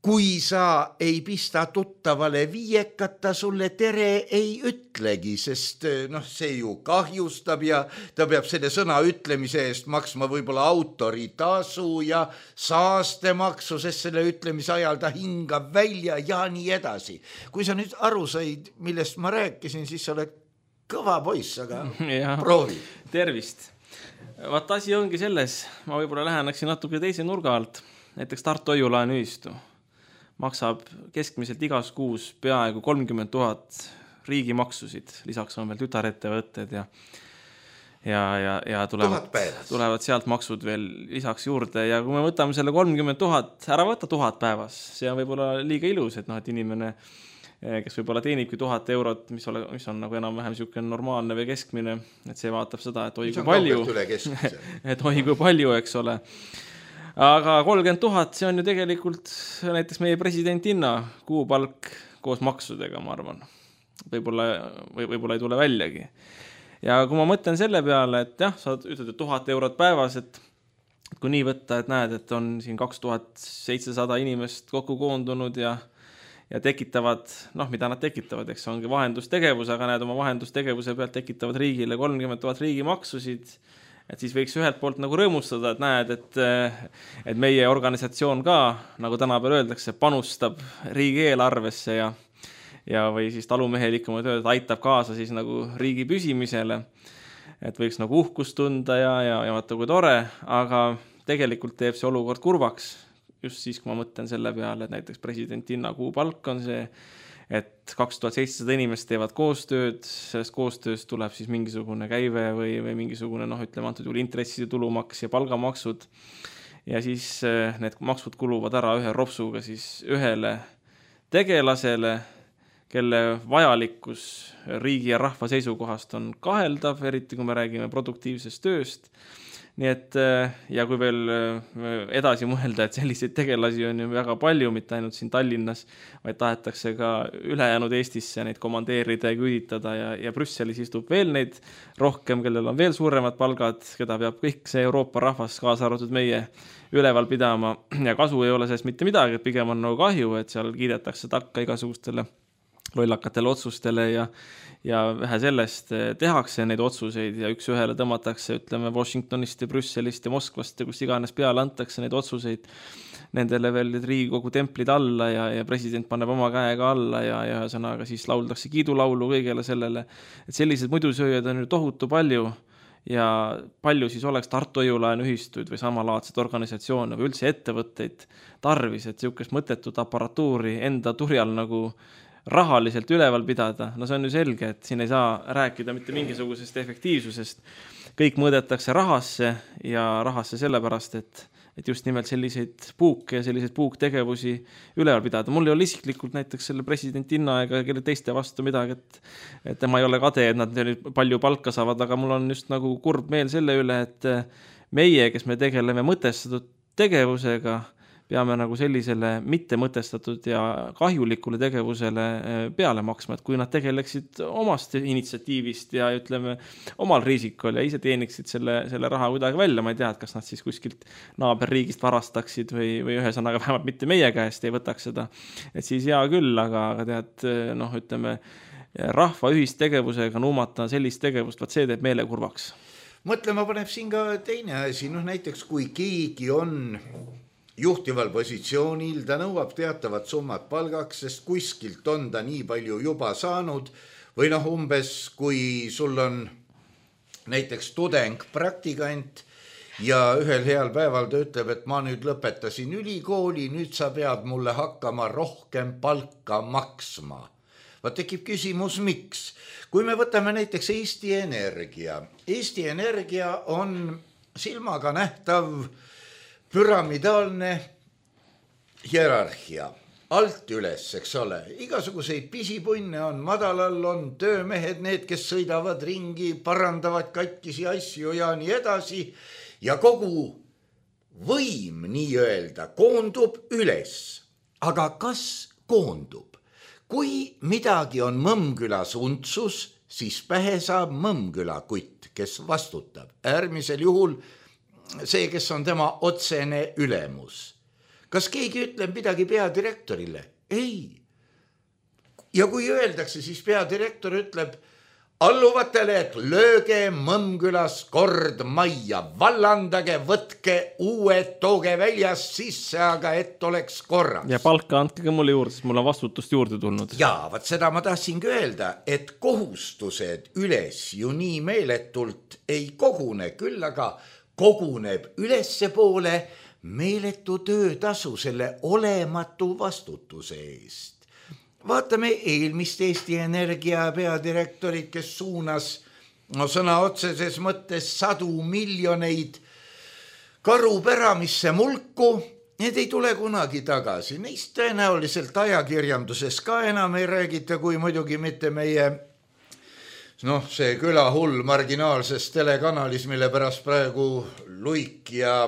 kui sa ei pista tuttavale viiekat, ta sulle tere ei ütlegi, sest noh, see ju kahjustab ja ta peab selle sõna ütlemise eest maksma võib-olla autoritasu ja saastemaksu, sest selle ütlemise ajal ta hingab välja ja nii edasi. Kui sa nüüd aru said, millest ma rääkisin, siis sa oled kõva poiss, aga ja, proovi. Tervist. Vaat asi ongi selles, ma võib-olla läheneksin natuke teise nurga alt, näiteks Tartu Hoiulaenu ühistu maksab keskmiselt igas kuus peaaegu kolmkümmend tuhat riigimaksusid, lisaks on veel tütarettevõtted ja, ja, ja, ja tulevad, tulevad sealt maksud veel lisaks juurde ja kui me võtame selle kolmkümmend tuhat, ära võtta tuhat päevas, see on võib-olla liiga ilus, et noh, et inimene, kes võib-olla teenibki tuhat eurot, mis, ole, mis on nagu enam-vähem niisugune normaalne või keskmine, et see vaatab seda, et oi kui palju, et oi kui palju, eks ole. Aga kolmkümmend tuhat, see on ju tegelikult näiteks meie presidentinna kuupalk koos maksudega, ma arvan. Võib-olla, või, võib-olla ei tule väljagi. Ja kui ma mõtlen selle peale, et jah, sa ütled, et tuhat eurot päevas, et kui nii võtta, et näed, et on siin kaks tuhat seitsesada inimest kokku koondunud ja, ja tekitavad, noh, mida nad tekitavad, eks ongi vahendustegevus, aga näed oma vahendustegevuse pealt tekitavad riigile kolmkümmend tuhat riigimaksusid, et siis võiks ühelt poolt nagu rõõmustada, et näed, et, et meie organisatsioon ka, nagu tänapäeval öeldakse, panustab riigieelarvesse ja, ja või siis talumehelikumad öelda, aitab kaasa siis nagu riigi püsimisele, et võiks nagu uhkust tunda ja, ja, ja vaata kui tore, aga tegelikult teeb see olukord kurvaks, just siis, kui ma mõtlen selle peale, et näiteks presidentinna kuupalk on see, et kaks tuhat seitsesada inimest teevad koostööd, sellest koostööst tuleb siis mingisugune käive või, või mingisugune, noh, ütleme antud juhul intresside tulumaks ja palgamaksud ja siis need maksud kuluvad ära ühe ropsuga siis ühele tegelasele, kelle vajalikkus riigi ja rahva seisukohast on kaheldav, eriti kui me räägime produktiivsest tööst. Nii et ja kui veel edasi mõelda, et selliseid tegelasi on ju väga palju, mitte ainult siin Tallinnas, vaid tahetakse ka ülejäänud Eestisse neid komandeerida ja küüditada ja, ja Brüsselis istub veel neid rohkem, kellel on veel suuremad palgad, keda peab kõik see Euroopa rahvas kaasa arvatud meie üleval pidama ja kasu ei ole sellest mitte midagi, et pigem on nagu kahju, et seal kiidetakse takka igasugustele lollakatele otsustele ja ja vähe sellest tehakse neid otsuseid ja üks ühele tõmmatakse, ütleme, Washingtonist ja Brüsselist ja Moskvast ja kus iganes peale antakse neid otsuseid nendele veel Riigikogu templid alla ja, ja president paneb oma käega alla ja, ja sõnaga siis lauldakse kiidulaulu kõigele sellele, et sellised muidusööjad on ju tohutu palju ja palju siis oleks Tartu Hoiulaenu ühistuid või samalaadset organisatsioone või üldse ettevõtteid tarvis, et niisugust mõttetut aparatuuri enda turjal nagu rahaliselt üleval pidada, no see on ju selge, et siin ei saa rääkida mitte mingisugusest efektiivsusest. Kõik mõõdetakse rahasse ja rahasse sellepärast, et, et just nimelt selliseid puuke ja selliseid puuktegevusi üleval pidada. Mul ei ole isiklikult näiteks selle presidentinna ega kelle teiste vastu midagi, et, et tema ei ole kade, et nad palju palka saavad, aga mul on just nagu kurb meel selle üle, et meie, kes me tegeleme mõtestatud tegevusega, peame nagu sellisele mitte mõtestatud ja kahjulikule tegevusele peale maksma, et kui nad tegeleksid omast initsiatiivist ja ütleme omal riisikul ja ise teeniksid selle, selle raha kuidagi välja, ma ei tea, et kas nad siis kuskilt naaberriigist varastaksid või, või ühesõnaga vähemalt mitte meie käest ei võtaks seda, et siis hea küll, aga, aga tead, noh, ütleme rahva ühistegevusega nuumata sellist tegevust, vaat see teeb meele kurvaks. Mõtlema paneb siin ka teine asi, noh näiteks kui keegi on juhtival positsioonil, ta nõuab teatavat summat palgaks, sest kuskilt on ta nii palju juba saanud või noh umbes, kui sul on näiteks tudeng, praktikant ja ühel heal päeval ta ütleb, et ma nüüd lõpetasin ülikooli, nüüd sa pead mulle hakkama rohkem palka maksma. Vaat tekib küsimus, miks? Kui me võtame näiteks Eesti Energia. Eesti Energia on silmaga nähtav püramidaalne hierarhia, alt üles, eks ole. Igasuguseid pisipunne on, madalal on töömehed, need, kes sõidavad ringi, parandavad katkisi asju ja nii edasi. Ja kogu võim nii-öelda koondub üles. Aga kas koondub? Kui midagi on Mõmmkülas untsus, siis pähe saab Mõmmküla kutt, kes vastutab. Äärmisel juhul see, kes on tema otsene ülemus. kas keegi ütleb midagi peadirektorile? Ei. Ja kui öeldakse, siis peadirektor ütleb alluvatele, et lööge Mõmmkülas kord majja, vallandage, võtke uued, tooge väljast sisse, aga et oleks korras. Ja palka andke mulle juurde, sest mul on vastutust juurde tulnud. Jaa, vaat seda ma tahtsingi öelda, et kohustused üles ju nii meeletult ei kogune, küll aga koguneb ülesse poole meeletu töötasu selle olematu vastutuse eest. Vaatame eelmist Eesti Energia peadirektorit, kes suunas no, sõna otseses mõttes sadu miljoneid karupäramisse mulku. Need ei tule kunagi tagasi. Neist tõenäoliselt ajakirjanduses ka enam ei räägita, kui muidugi mitte meie noh, see külahull marginaalses telekanalis, mille pärast praegu Luik ja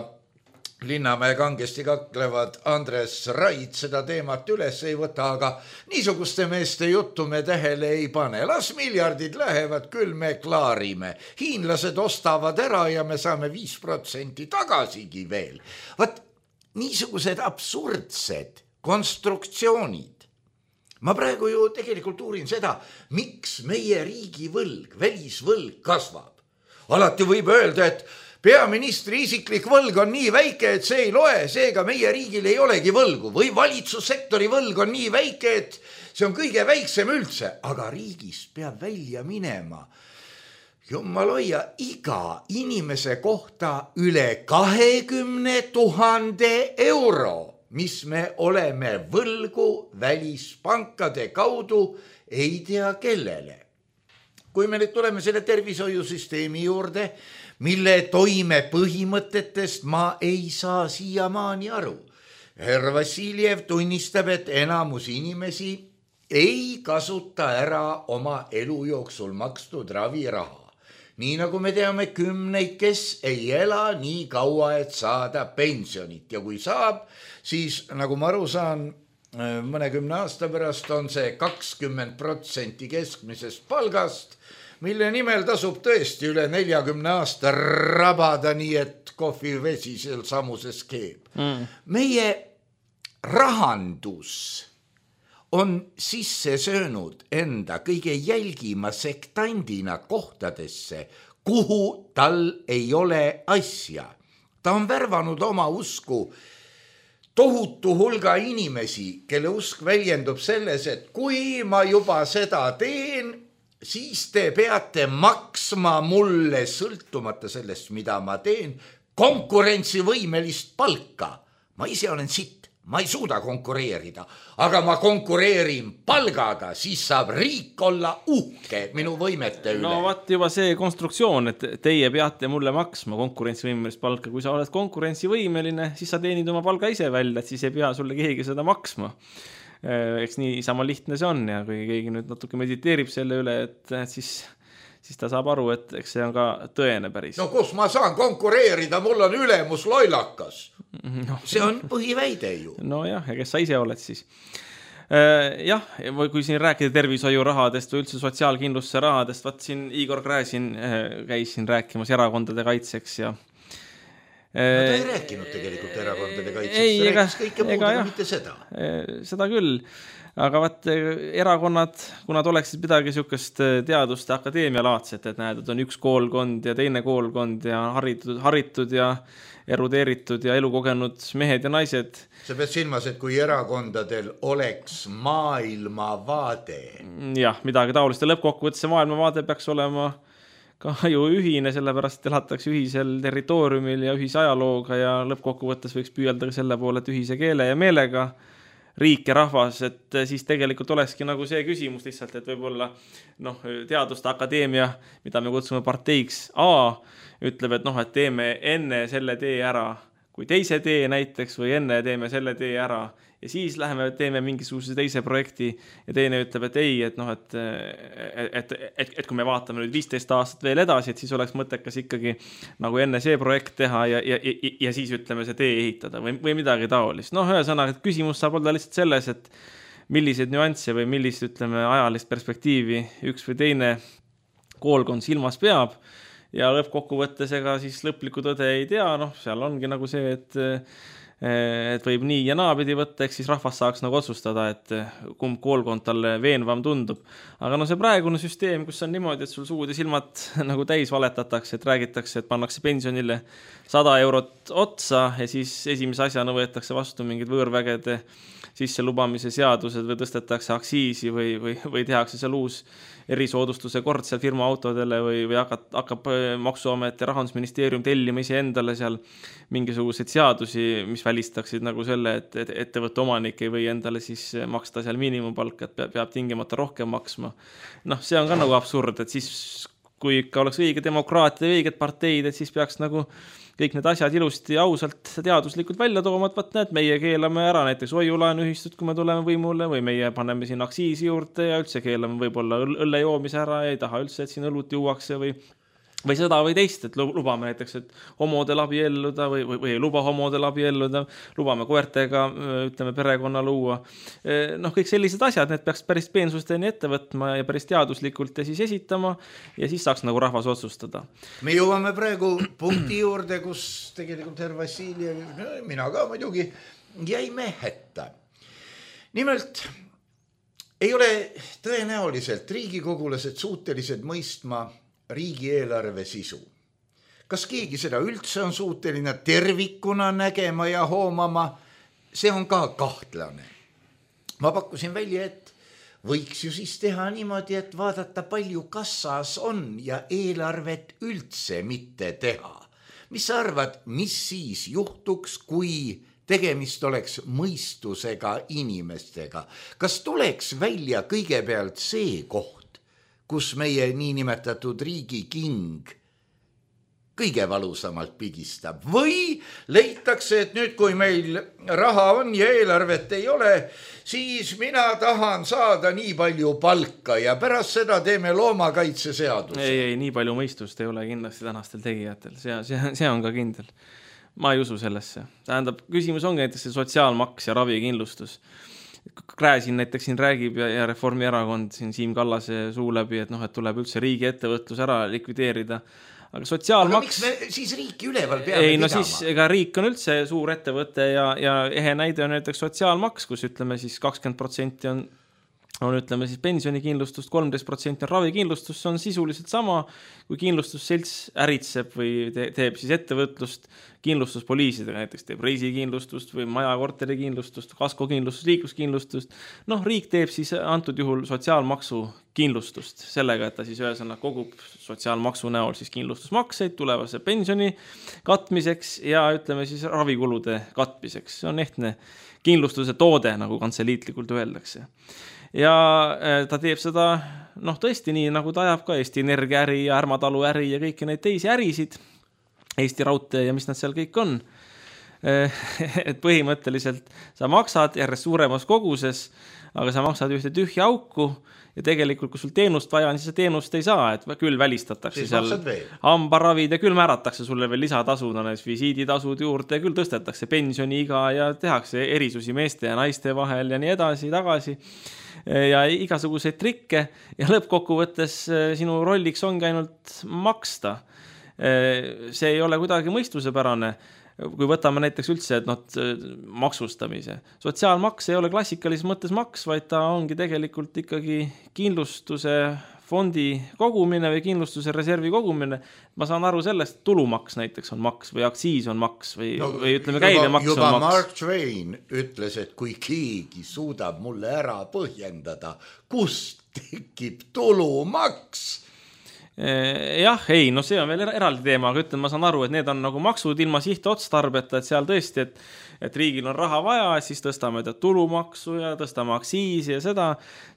Linnamäe kangesti kaklevad Andres Raid seda teemat üles ei võta, aga niisuguste meeste juttu me tähele ei pane. Las miljardid lähevad, küll me klaarime. Hiinlased ostavad ära ja me saame viis protsenti tagasigi veel. Vaat niisugused absurdsed konstruktsioonid. Ma praegu ju tegelikult uurin seda, miks meie riigi võlg, välisvõlg kasvab. Alati võib öelda, et peaministri isiklik võlg on nii väike, et see ei loe, seega meie riigil ei olegi võlgu. Või valitsussektori võlg on nii väike, et see on kõige väiksem üldse. Aga riigist peab välja minema. Jumal hoia, iga inimese kohta üle kahekümne tuhande euro, mis me oleme võlgu välispankade kaudu, ei tea kellele. Kui me nüüd tuleme selle tervishoiusüsteemi juurde, mille toime põhimõtetest ma ei saa siiamaani aru. Herr Vassiljev tunnistab, et enamus inimesi ei kasuta ära oma elu jooksul makstud raviraha. Nii nagu me teame kümneid, kes ei ela nii kaua, et saada pensionit. Ja kui saab, siis nagu ma aru saan, mõnekümne aasta pärast on see kakskümmend protsenti keskmisest palgast, mille nimel tasub tõesti üle neljakümne aasta rabada, nii et kohvivesi seal samuses keeb. Mm. Meie rahandus on sisse söönud enda kõige jälgima sektandina kohtadesse, kuhu tal ei ole asja. Ta on värvanud oma usku tohutu hulga inimesi, kelle usk väljendub selles, et kui ma juba seda teen, siis te peate maksma mulle sõltumata sellest, mida ma teen, konkurentsivõimelist palka. Ma ise olen sitt, ma ei suuda konkureerida, aga ma konkureerin palgaga, siis saab riik olla uhke minu võimete üle. No vaat juba see konstruktsioon, et teie peate mulle maksma konkurentsivõimelist palka. Kui sa oled konkurentsivõimeline, siis sa teenid oma palga ise välja, et siis ei pea sulle keegi seda maksma. Eks nii sama lihtne see on ja kui keegi nüüd natuke mediteerib selle üle, et siis, siis ta saab aru, et eks see on ka tõene päris. No kus ma saan konkureerida, mul on ülemus loilakas. No. See on põhiväide ju. No jah, ja kes sa ise oled siis. Jah, või kui siin rääkida tervishoiu rahadest või üldse sotsiaalkindlustuse rahadest, vaat siin Igor Gräzin käis siin rääkimas erakondade kaitseks ja No ta ei rääkinud tegelikult erakondade kaitseks, ei, ega, rääkis kõike muud, aga mitte seda. Seda küll, aga vaat erakonnad, kui nad oleksid midagi niisugust teaduste akadeemialaadset, et näed, et on üks koolkond ja teine koolkond ja haritud, haritud ja erudeeritud ja elukogenud mehed ja naised. Sa pead silmas, et kui erakondadel oleks maailmavaade. Jah, midagi taolist ja lõppkokkuvõttes see maailmavaade peaks olema ka ju ühine, sellepärast elatakse ühisel territooriumil ja ühise ajalooga ja lõppkokkuvõttes võiks püüelda selle poole, et ühise keele ja meelega riik ja rahvas, et siis tegelikult olekski nagu see küsimus lihtsalt, et võib-olla noh, teaduste akadeemia, mida me kutsume parteiks A, ütleb, et noh, et teeme enne selle tee ära, kui teise tee näiteks või enne teeme selle tee ära ja siis läheme, teeme mingisuguse teise projekti ja teine ütleb, et ei, et noh, et, et, et, et kui me vaatame nüüd viisteist aastat veel edasi, et siis oleks mõttekas ikkagi nagu enne see projekt teha ja, ja, ja, ja siis ütleme see tee ehitada või, või midagi taolist. Noh, ühesõnaga, et küsimus saab olla lihtsalt selles, et milliseid nüansse või millist, ütleme, ajalist perspektiivi üks või teine koolkond silmas peab ja lõppkokkuvõttes ega siis lõplikku tõde ei tea, noh, seal ongi nagu see, et et võib nii ja naapidi võtta, eks siis rahvas saaks nagu otsustada, et kumb koolkond talle veenvam tundub. Aga no see praegune süsteem, kus on niimoodi, et sul suud ja silmad nagu täis valetatakse, et räägitakse, et pannakse pensionile sada eurot otsa ja siis esimese asjana võetakse vastu mingid võõrvägede sisse lubamise seadused või tõstetakse aksiisi või, või, või tehakse seal uus erisoodustuse kord seal firma autodele või, või hakkab, hakkab Maksuamet ja Rahandusministeerium tellima ise endale seal mingisuguseid seadusi, mis välistaksid nagu selle, et, et ettevõtte omanik ei või endale siis maksta seal miinimumpalka, et peab, peab tingimata rohkem maksma. Noh, see on ka nagu absurd, et siis kui ikka oleks õige demokraatia ja õiged parteid, et siis peaks nagu kõik need asjad ilusti ausalt teaduslikult välja tooma, et võt näed, meie keelame ära näiteks hoiulaenuühistut, kui me tuleme võimule, või meie paneme siin aksiisi juurde ja üldse keelame võib-olla õlle joomise ära ja ei taha üldse, et siin õlut juuakse või või seda või teist, et lubame näiteks, et homodel abielluda või, või, või ei luba homodel abielluda, lubame koertega, ütleme, perekonna luua. Noh, kõik sellised asjad, need peaks päris peensusteni ette võtma ja päris teaduslikult ja siis esitama ja siis saaks nagu rahvas otsustada. Me jõuame praegu punkti juurde, kus tegelikult herr Vassiljev, mina ka muidugi, jäime hätta. Nimelt ei ole tõenäoliselt riigikogulased suutelised mõistma riigieelarve sisu. Kas keegi seda üldse on suuteline tervikuna nägema ja hoomama? See on ka kahtlane. Ma pakkusin välja, et võiks ju siis teha niimoodi, et vaadata palju kassas on ja eelarvet üldse mitte teha. Mis sa arvad, mis siis juhtuks, kui tegemist oleks mõistusega inimestega? Kas tuleks välja kõigepealt see koht, kus meie niinimetatud riigi king kõige valusamalt pigistab või leitakse, et nüüd, kui meil raha on ja eelarvet ei ole, siis mina tahan saada nii palju palka ja pärast seda teeme loomakaitseseaduse. Ei, ei, nii palju mõistust ei ole kindlasti tänastel tegijatel. See, see, see on ka kindel. Ma ei usu sellesse. Tähendab, küsimus ongi näiteks see sotsiaalmaks ja ravikindlustus. Kräsin näiteks siin räägib ja, ja Reformierakond siin Siim Kallase suu läbi, et noh, et tuleb üldse riigi ettevõtlus ära likvideerida. Aga sotsiaalmaks... Aga miks me siis riiki üleval peame ei, no pidama? Siis, ega riik on üldse suur ettevõte ja, ja ehe näide on näiteks sotsiaalmaks, kus ütleme siis kakskümmend protsenti on on ütleme siis pensionikindlustust, kolmteist protsenti on ravikindlustus, see on sisuliselt sama, kui kindlustusselts äritseb või te, teeb siis ettevõtlust kindlustuspoliisidega, näiteks teeb reisikindlustust või majakorterikindlustust, kaskokindlustust, liikluskindlustust. Noh, riik teeb siis antud juhul sotsiaalmaksu kindlustust sellega, et ta siis ühesõnaga kogub sotsiaalmaksu näol siis kindlustusmakseid tulevase pensioni katmiseks ja ütleme siis ravikulude katmiseks. See on ehtne kindlustuse toode, nagu kantseliitlikult öeldakse. Ja ta teeb seda, noh tõesti nii, nagu ta ajab ka Eesti Energia äri ja Ärmatalu äri ja kõiki neid teisi ärisid, Eesti Raudtee ja mis nad seal kõik on. Et põhimõtteliselt sa maksad järjest suuremas koguses, aga sa maksad ühte tühja auku ja tegelikult, kui sul teenust vaja on, siis see teenust ei saa, et küll välistatakse siis seal hambaravid ja küll määratakse sulle veel lisatasud, on visiiditasud juurde ja küll tõstetakse pensioniiga ja tehakse erisusi meeste ja naiste vahel ja nii edasi, tagasi ja igasuguseid trikke ja lõppkokkuvõttes sinu rolliks ongi ainult maksta. See ei ole kuidagi mõistusepärane, kui võtame näiteks üldse, et noh, maksustamise. Sotsiaalmaks ei ole klassikalises mõttes maks, vaid ta ongi tegelikult ikkagi kindlustuse fondi kogumine või kindlustuse reservi kogumine. Ma saan aru sellest, tulumaks näiteks on maks või aksiis on maks või, no, või ütleme käibemaks on maks. Juba Mark Twain ütles, et kui keegi suudab mulle ära põhjendada, kust tekib tulumaks, jah, ei, no see on veel eraldi teema, aga ütlen, ma saan aru, et need on nagu maksud ilma sihtotstarbeta, et seal tõesti, et, et riigil on raha vaja, siis tõstame tulumaksu ja tõstame aksiisi ja seda,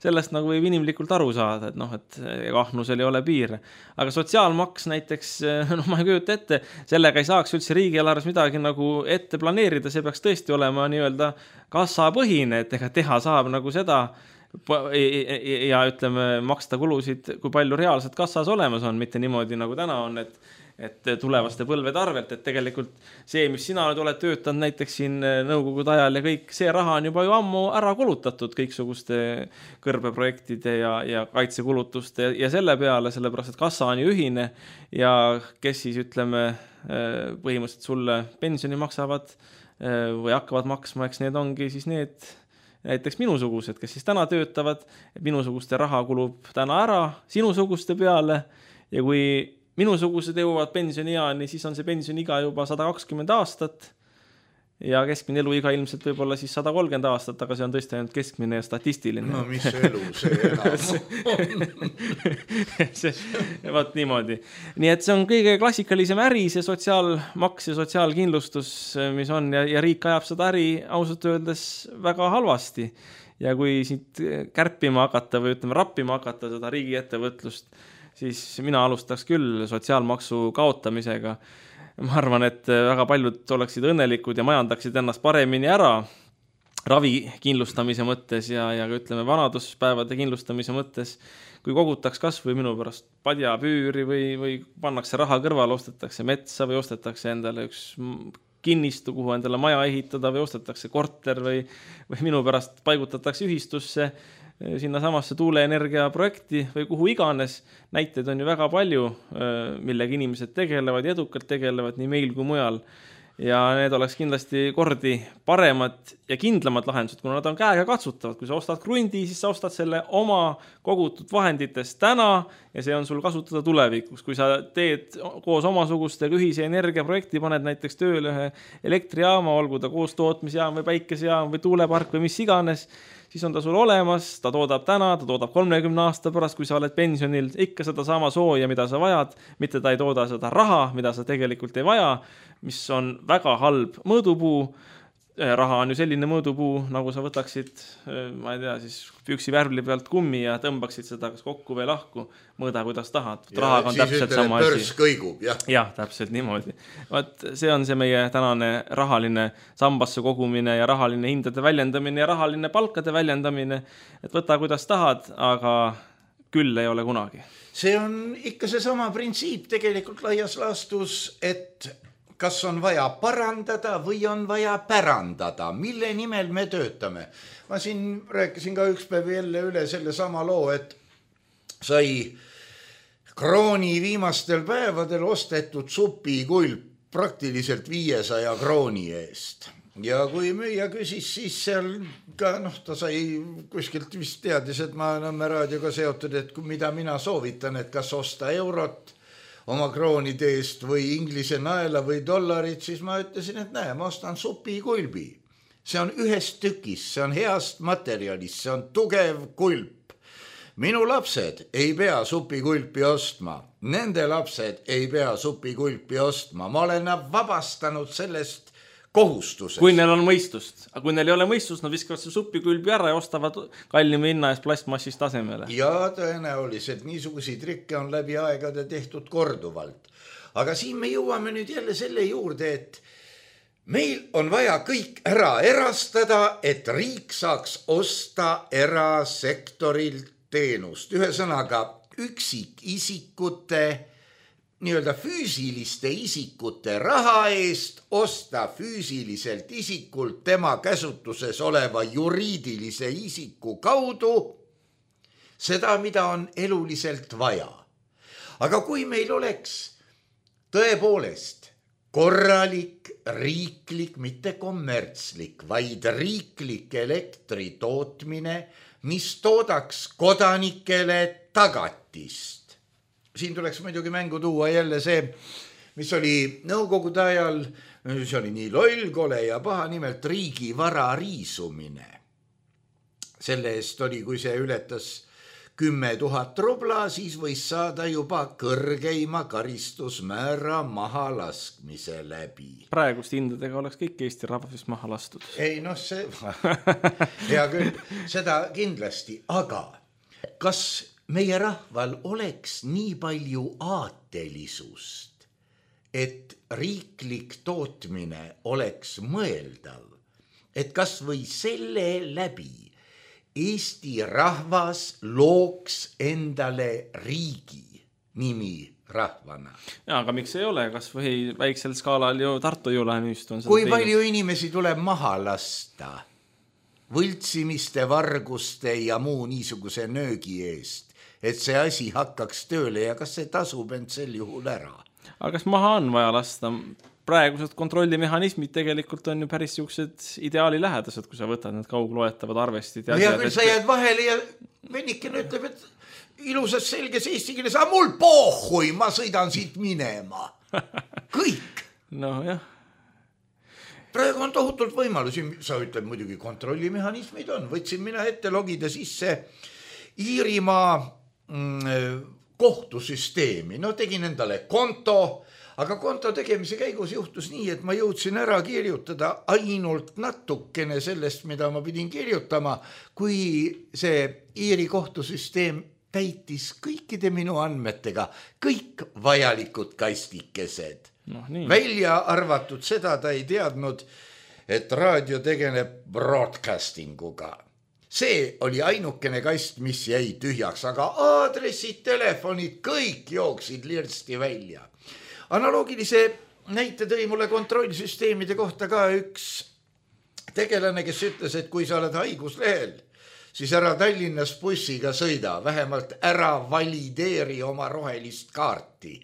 sellest nagu võib inimlikult aru saada, et noh, et kahnusel ei ole piire. Aga sotsiaalmaks näiteks, noh, ma ei kujuta ette, sellega ei saaks üldse riigieelarves midagi nagu ette planeerida, see peaks tõesti olema nii-öelda kassapõhine, et ega teha saab nagu seda, ja ütleme, maksta kulusid, kui palju reaalselt kassas olemas on, mitte niimoodi nagu täna on, et, et tulevaste põlvede arvelt, et tegelikult see, mis sina nüüd oled töötanud näiteks siin nõukogude ajal ja kõik, see raha on juba ju ammu ära kulutatud kõiksuguste kõrbeprojektide ja, ja kaitsekulutuste ja selle peale, sellepärast, et kassa on ju ühine ja kes siis ütleme põhimõtteliselt sulle pensioni maksavad või hakkavad maksma, eks need ongi siis need näiteks minusugused, kes siis täna töötavad, et minusuguste raha kulub täna ära sinusuguste peale ja kui minusugused jõuavad pensionieani, siis on see pensioniiga juba sada kakskümmend aastat ja keskmine eluiga ilmselt võib-olla siis sada kolmkümmend aastat, aga see on tõesti ainult keskmine ja statistiline. No mis elu see enam on? see, vaat niimoodi. Nii et see on kõige klassikalisem äri, see sotsiaalmaks ja sotsiaalkindlustus, mis on ja, ja riik ajab seda äri ausalt öeldes väga halvasti. Ja kui siit kärpima hakata või ütleme rappima hakata seda riigi ettevõtlust, siis mina alustaks küll sotsiaalmaksu kaotamisega. Ma arvan, et väga paljud oleksid õnnelikud ja majandaksid ennast paremini ära ravi kindlustamise mõttes ja, ja ütleme vanaduspäevade kindlustamise mõttes, kui kogutaks kas või minu pärast padjapüüri või, või pannakse raha kõrval, ostetakse metsa või ostetakse endale üks kinnistu, kuhu endale maja ehitada või ostetakse korter või, või minu pärast paigutatakse ühistusse sinna samasse tuuleenergia projekti või kuhu iganes. Näiteid on ju väga palju, millega inimesed tegelevad ja edukalt tegelevad nii meil kui mujal. Ja need oleks kindlasti kordi paremad ja kindlamad lahendused, kuna nad on käega katsutavad. Kui sa ostad krundi, siis sa ostad selle oma kogutud vahenditest täna ja see on sul kasutada tulevikus. Kui sa teed koos omasugustega ühise energiaprojekti, paned näiteks tööle ühe elektrijaama, olgu ta koos tootmisjaam või päikesejaam või tuulepark või mis iganes, siis on ta sul olemas, ta toodab täna, ta toodab kolmekümne aasta pärast, kui sa oled pensionil, ikka seda sama sooja, mida sa vajad, mitte ta ei tooda seda raha, mida sa tegelikult ei vaja, mis on väga halb mõõdupuu. Raha on ju selline mõõdupuu, nagu sa võtaksid, ma ei tea, siis püksi värvli pealt kummi ja tõmbaksid seda kas kokku või lahku, mõõda kuidas tahad. Rahaga on täpselt ütleme, sama asi. Pörs kõigub, jah. Jah, täpselt niimoodi. Vaat see on see meie tänane rahaline sambasse kogumine ja rahaline hindade väljendamine ja rahaline palkade väljendamine. Et võta kuidas tahad, aga küll ei ole kunagi. See on ikka see sama printsiip tegelikult laias laastus, et kas on vaja parandada või on vaja pärandada, mille nimel me töötame. Ma siin rääkisin ka üks päev jälle üle selle sama loo, et sai krooni viimastel päevadel ostetud supikulp praktiliselt viiesaja krooni eest. Ja kui müüja küsis, siis seal ka, noh, ta sai kuskilt vist teadis, et ma Nõmme raadioga seotud, et mida mina soovitan, et kas osta eurot oma kroonide eest või inglise naela või dollarit, siis ma ütlesin, et näe, ma ostan supikulbi. See on ühest tükis, see on heast materjalist, see on tugev kulp. Minu lapsed ei pea supikulpi ostma, nende lapsed ei pea supikulpi ostma. Ma olen nad vabastanud sellest kohustusest. Kui neil on mõistust. Aga kui neil ei ole mõistust, nad viskavad see supikulbi ära ja ostavad kallima hinna eest plastmassist tasemele. Ja tõenäoliselt niisuguseid trikke on läbi aegade tehtud korduvalt. Aga siin me jõuame nüüd jälle selle juurde, et meil on vaja kõik ära erastada, et riik saaks osta erasektorilt teenust. Ühesõnaga üksikisikute nii-öelda füüsiliste isikute raha eest osta füüsiliselt isikult tema käsutuses oleva juriidilise isiku kaudu seda, mida on eluliselt vaja. Aga kui meil oleks tõepoolest korralik, riiklik, mitte kommertslik, vaid riiklik elektri tootmine, mis toodaks kodanikele tagatist. Siin tuleks muidugi mängu tuua jälle see, mis oli nõukogude ajal, see oli nii loll, kole ja paha, nimelt riigi vara riisumine. Selle eest oli, kui see ületas kümme tuhat rubla, siis võis saada juba kõrgeima karistusmäära maha laskmise läbi. Praegust hindadega oleks kõik Eesti rahvast maha lastud. Ei, noh, see hea küll, seda kindlasti, aga kas meie rahval oleks nii palju aatelisust, et riiklik tootmine oleks mõeldav, et kas või selle läbi Eesti rahvas looks endale riigi nimi rahvana. Ja, aga miks ei ole? Kas või väiksel skaalal ju Tartu Jõulähenüüst on. Kui palju teinud? Inimesi tuleb maha lasta võltsimiste, varguste ja muu niisuguse nöögi eest, et see asi hakkaks tööle ja kas see tasub end sel juhul ära? aga kas maha on vaja lasta? Praegused kontrollimehhanismid tegelikult on ju päris siuksed ideaali lähedased, kui sa võtad need kaugloetavad arvestid. Ja, ja küll sa jääd vahele ja vennikene ütleb, et ilusas selges eesti keeles, aga mul pohhui, ma sõidan siit minema. Kõik. No jah. Praegu on tohutult võimalusi, sa ütled muidugi kontrollimehhanismid on. Võtsin mina ette logida sisse Iirimaa mm, kohtusüsteemi. No tegin endale konto, aga konto tegemise käigus juhtus nii, et ma jõudsin ära kirjutada ainult natukene sellest, mida ma pidin kirjutama, kui see Iiri kohtusüsteem täitis kõikide minu andmetega, kõik vajalikud kastikesed. No, nii. Välja arvatud seda ta ei teadnud, et raadio tegeleb broadcastinguga. See oli ainukene kast, mis jäi tühjaks, aga aadressid, telefonid, kõik jooksid lirsti välja. Analoogilise näite tõi mulle kontrollsüsteemide kohta ka üks tegelane, kes ütles, et kui sa oled haiguslehel, siis ära Tallinnas bussiga sõida, vähemalt ära valideeri oma rohelist kaarti.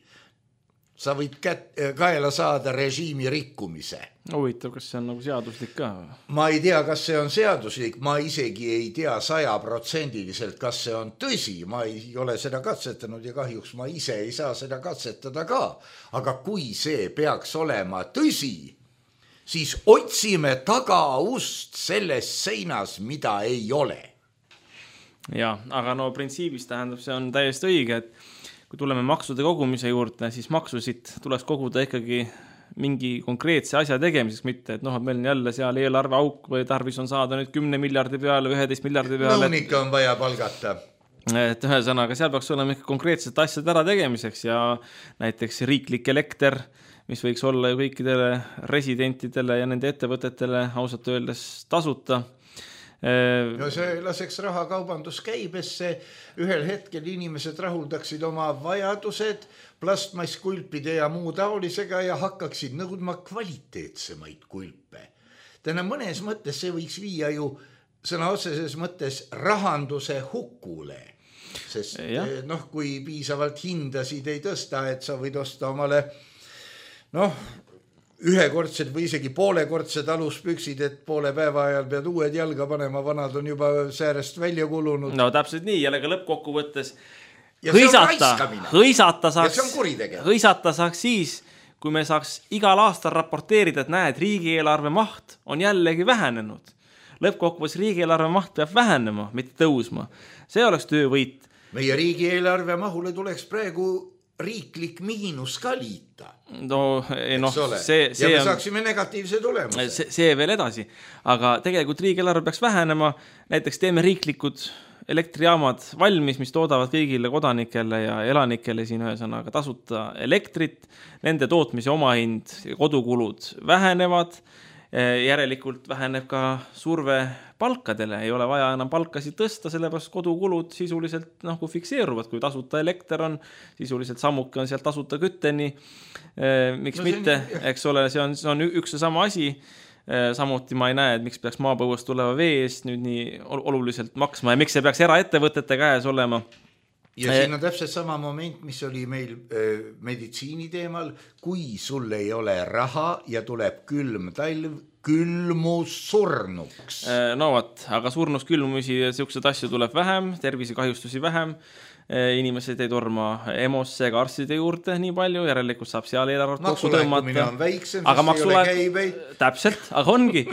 Sa võid kät- kaela saada režiimi rikkumise. Huvitav, kas see on nagu seaduslik ka? Ma ei tea, kas see on seaduslik, ma isegi ei tea sajaprotsendiliselt, kas see on tõsi, ma ei ole seda katsetanud ja kahjuks ma ise ei saa seda katsetada ka. Aga kui see peaks olema tõsi, siis otsime tagaust selles seinas, mida ei ole. Ja, aga no printsiibis tähendab, see on täiesti õige, et kui tuleme maksude kogumise juurde, siis maksusid tuleks koguda ikkagi mingi konkreetse asja tegemiseks, mitte, et noh, et meil on jälle seal eelarve auk või tarvis on saada nüüd kümne miljardi peale, üheteist miljardi peale. Nõunikke on vaja palgata. Et ühesõnaga, seal peaks olema ikka konkreetsed asjad ära tegemiseks ja näiteks riiklik elekter, mis võiks olla ju kõikidele residentidele ja nende ettevõtetele ausalt öeldes tasuta. No see laseks raha kaubanduskäibesse, ühel hetkel inimesed rahuldaksid oma vajadused plastmasskulpide ja muu taolisega ja hakkaksid nõudma kvaliteetsemaid kulpe. Täna mõnes mõttes see võiks viia ju sõna otseses mõttes rahanduse hukule, sest noh, kui piisavalt hindasid ei tõsta, et sa võid osta omale noh, ühekordsed või isegi poolekordsed aluspüksid, et poole päeva ajal pead uued jalga panema, vanad on juba säärest välja kulunud. No täpselt nii, jälle ka lõppkokkuvõttes hõisata, hõisata saaks, hõisata saaks siis, kui me saaks igal aastal raporteerida, et näed, riigieelarve maht on jällegi vähenenud. Lõppkokkuvõttes riigieelarve maht peab vähenema, mitte tõusma. See oleks töövõit. Meie riigieelarve mahule tuleks praegu riiklik miinus ka liita. No, ei, noh, see, see ja me saaksime negatiivse tulemuse. See, see veel edasi. Aga tegelikult riigieelarve peaks vähenema. Näiteks teeme riiklikud elektrijaamad valmis, mis toodavad kõigile kodanikele ja elanikele siin ühesõnaga tasuta elektrit. Nende tootmise omahind ja kodukulud vähenevad. Järelikult väheneb ka surve palkadele, ei ole vaja enam palkasid tõsta, sellepärast kodukulud sisuliselt noh, kui fikseeruvad, kui tasuta elekter on, sisuliselt sammuke on sealt tasuta kütteni, miks no, mitte, on... eks ole, see on, see on üks ja sama asi, samuti ma ei näe, et miks peaks maapõuest tuleva vee eest nüüd nii oluliselt maksma ja miks see peaks eraettevõtete käes olema. Ja siin on täpselt sama moment, mis oli meil äh, meditsiini teemal, kui sul ei ole raha ja tuleb külm talv, külmus surnuks. No vaat, aga surnus külmumisi ja siuksed asju tuleb vähem, tervisekahjustusi vähem, inimesed ei torma EMO-sse ega arstide juurde nii palju, järelikult saab seal eelarvet kokku tõmmata. On väiksem, aga maksulaekumine täpselt, aga ongi.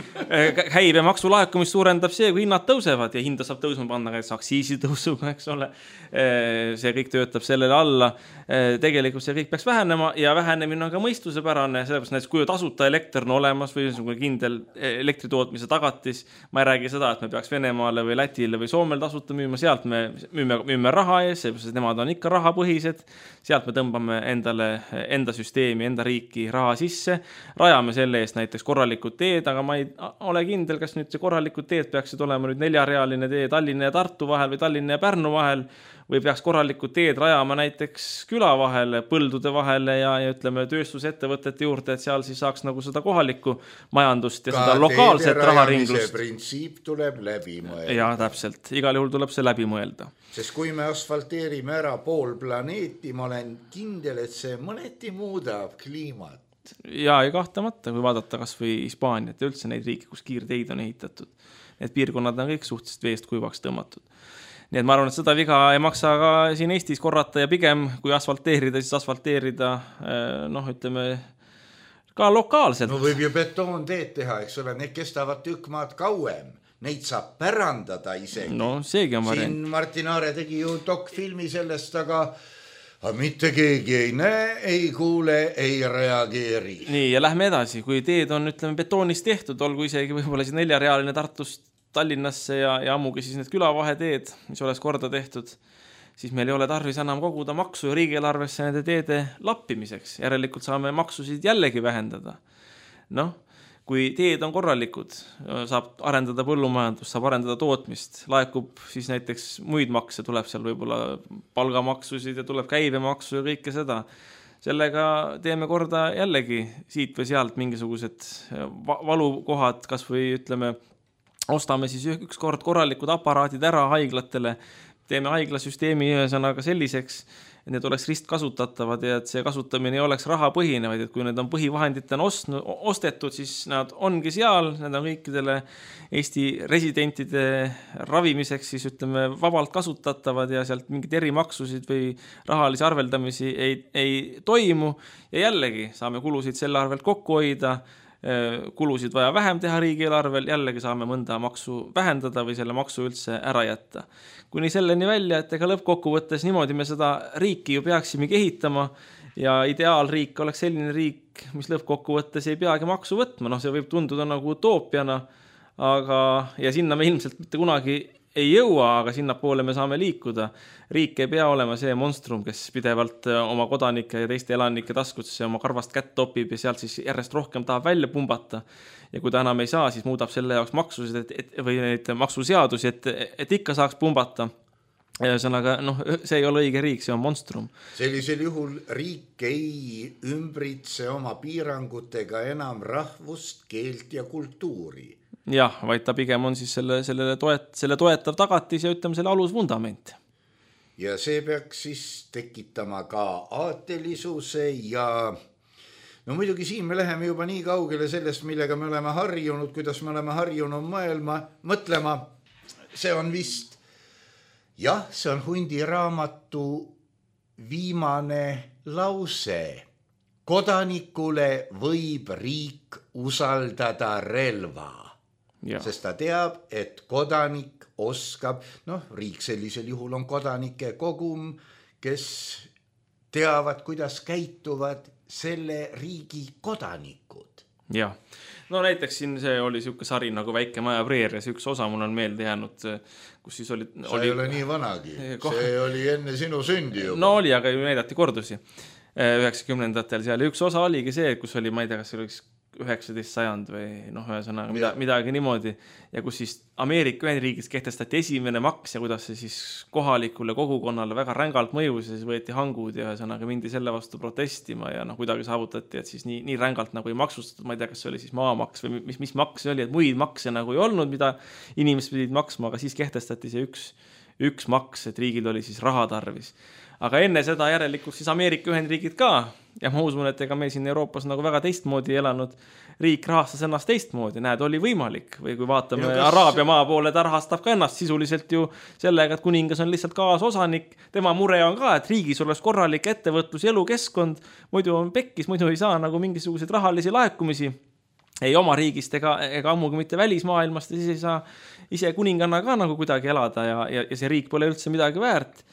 Käibe maksulaekumist suurendab see, kui hinnad tõusevad ja hinda saab tõusma panna ka aktsiisi tõusuga, eks ole. See kõik töötab sellele alla. Tegelikult see kõik peaks vähenema ja vähenemine on ka mõistusepärane, sellepärast näiteks kui tasuta elekter on olemas või kindel elektritootmise tagatis, ma ei räägi seda, et me peaks Venemaale või Lätile või Soomel tasuta müüma, sealt me müüme, müüme raha ees, sest nemad on ikka rahapõhised, sealt me tõmbame endale, enda süsteemi, enda riiki raha sisse, rajame selle eest näiteks korralikud teed, aga ma ei ole kindel, kas nüüd see korralikud teed peaksid olema nüüd neljarealine tee Tallinna ja Tartu vahel või Tallinna ja Pärnu vahel, või peaks korralikud teed rajama näiteks küla vahele, põldude vahele ja, ja ütleme tööstusettevõtete juurde, et seal siis saaks nagu seda kohalikku majandust ja ka seda lokaalset raharinglust. Printsiip tuleb läbi mõelda. Ja täpselt, igal juhul tuleb see läbi mõelda. Sest kui me asfalteerime ära pool planeeti, ma olen kindel, et see mõneti muudab kliimat. Ja, ja kahtamata, kui vaadata kas või Hispaaniat ja üldse neid riike, kus kiirteid on ehitatud. Need piirkonnad on kõik suhteliselt veest kuivaks tõmmatud. Nii et ma arvan, et seda viga ei maksa ka siin Eestis korrata ja pigem kui asfalteerida, siis asfalteerida, noh, ütleme, ka lokaalselt. No võib ju betoonteed teha, eks ole, need kestavad tükk maad kauem. Neid saab pärandada isegi. No seegi on variant. Siin Martin Aare tegi ju dokfilmi sellest, aga mitte keegi ei näe, ei kuule, ei reageeri. Nii, ja lähme edasi. Kui teed on, ütleme, betoonist tehtud, olgu isegi võib-olla siis neljarealine Tartust Tallinnasse ja, ja ammugi siis need külavaheteed, mis oleks korda tehtud, siis meil ei ole tarvis enam koguda maksu ja riigieelarvesse nende teede lappimiseks. Järelikult saame maksusid jällegi vähendada. Noh, kui teed on korralikud, saab arendada põllumajandust, saab arendada tootmist, laekub siis näiteks muid makse, tuleb seal võib-olla palgamaksusid ja tuleb käibemaksu ja kõike seda. Sellega teeme korda jällegi siit või sealt mingisugused valukohad, kas või ütleme, ostame siis üks kord korralikud aparaadid ära haiglatele, teeme haiglasüsteemi ühesõnaga selliseks, et need oleks ristkasutatavad ja et see kasutamine ei oleks rahapõhine, vaid et kui need on põhivahenditena ostetud, siis nad ongi seal, need on kõikidele Eesti residentide ravimiseks siis ütleme vabalt kasutatavad ja sealt mingid erimaksusid või rahalisi arveldamisi ei, ei toimu ja jällegi saame kulusid selle arvelt kokku hoida, kulusid vaja vähem teha riigieelarvel, jällegi saame mõnda maksu vähendada või selle maksu üldse ära jätta. Kuni selleni välja, et ega lõppkokkuvõttes niimoodi me seda riiki ju peaksimegi ehitama ja ideaalriik oleks selline riik, mis lõppkokkuvõttes ei peagi maksu võtma. No see võib tunduda nagu utoopiana, aga, ja sinna me ilmselt mitte kunagi ei jõua, aga sinna poole me saame liikuda. Riik ei pea olema see monstrum, kes pidevalt oma kodanike ja teiste elanike taskusse oma karvast kätt topib ja sealt siis järjest rohkem tahab välja pumbata. Ja kui ta enam ei saa, siis muudab selle jaoks maksusid et, et, või neid maksuseadusi, et, et ikka saaks pumbata. Ühesõnaga, noh, see ei ole õige riik, see on monstrum. Sellisel juhul riik ei ümbritse oma piirangutega enam rahvust, keelt ja kultuuri. Jah, vaid ta pigem on siis selle, selle, toet, selle toetav tagatis ja ütleme selle alusvundament. Ja see peaks siis tekitama ka aatelisuse ja no muidugi siin me läheme juba nii kaugele sellest, millega me oleme harjunud, kuidas me oleme harjunud mõelma, mõtlema. See on vist, jah, see on Hundi raamatu viimane lause. Kodanikule võib riik usaldada relva. Ja. Sest ta teab, et kodanik oskab, noh, riik sellisel juhul on kodanike kogum, kes teavad, kuidas käituvad selle riigi kodanikud. Jah, no näiteks siin see oli siuke sari nagu Väike maja preerias, üks osa mul on meelde jäänud, kus siis oli... Sa oli... ei ole nii vanagi, koh... see oli enne sinu sündi juba. No oli, aga ju näidati kordusi üheksakümnendatel seal. Üks osa oligi see, kus oli, ma ei tea, kas see oleks üheksateist sajand või noh, ühesõnaga mida, midagi niimoodi ja kus siis Ameerika Ühendriigis kehtestati esimene maks ja kuidas see siis kohalikule kogukonnale väga rängalt mõjus ja siis võeti hangud ja ühesõnaga mindi selle vastu protestima ja noh, kuidagi saavutati, et siis nii, nii rängalt nagu ei maksustatud, ma ei tea, kas see oli siis maamaks või mis, mis maks see oli, et muid makse nagu ei olnud, mida inimesed pidid maksma, aga siis kehtestati see üks, üks maks, et riigil oli siis raha tarvis. Aga enne seda järelikult siis Ameerika Ühendriigid ka ja ma usun, et ega meil siin Euroopas nagu väga teistmoodi elanud riik rahastas ennast teistmoodi, näed, oli võimalik või kui vaatame kas... Araabia maa poole, ta rahastab ka ennast sisuliselt ju sellega, et kuningas on lihtsalt kaasosanik, tema mure on ka, et riigis oleks korralik ettevõtlus ja elukeskkond, muidu on pekkis, muidu ei saa nagu mingisuguseid rahalisi laekumisi ei oma riigist ega, ega ammugi mitte välismaailmast ja siis ei saa ise kuninganna ka nagu kuidagi elada ja, ja, ja see riik pole üldse midagi väärt.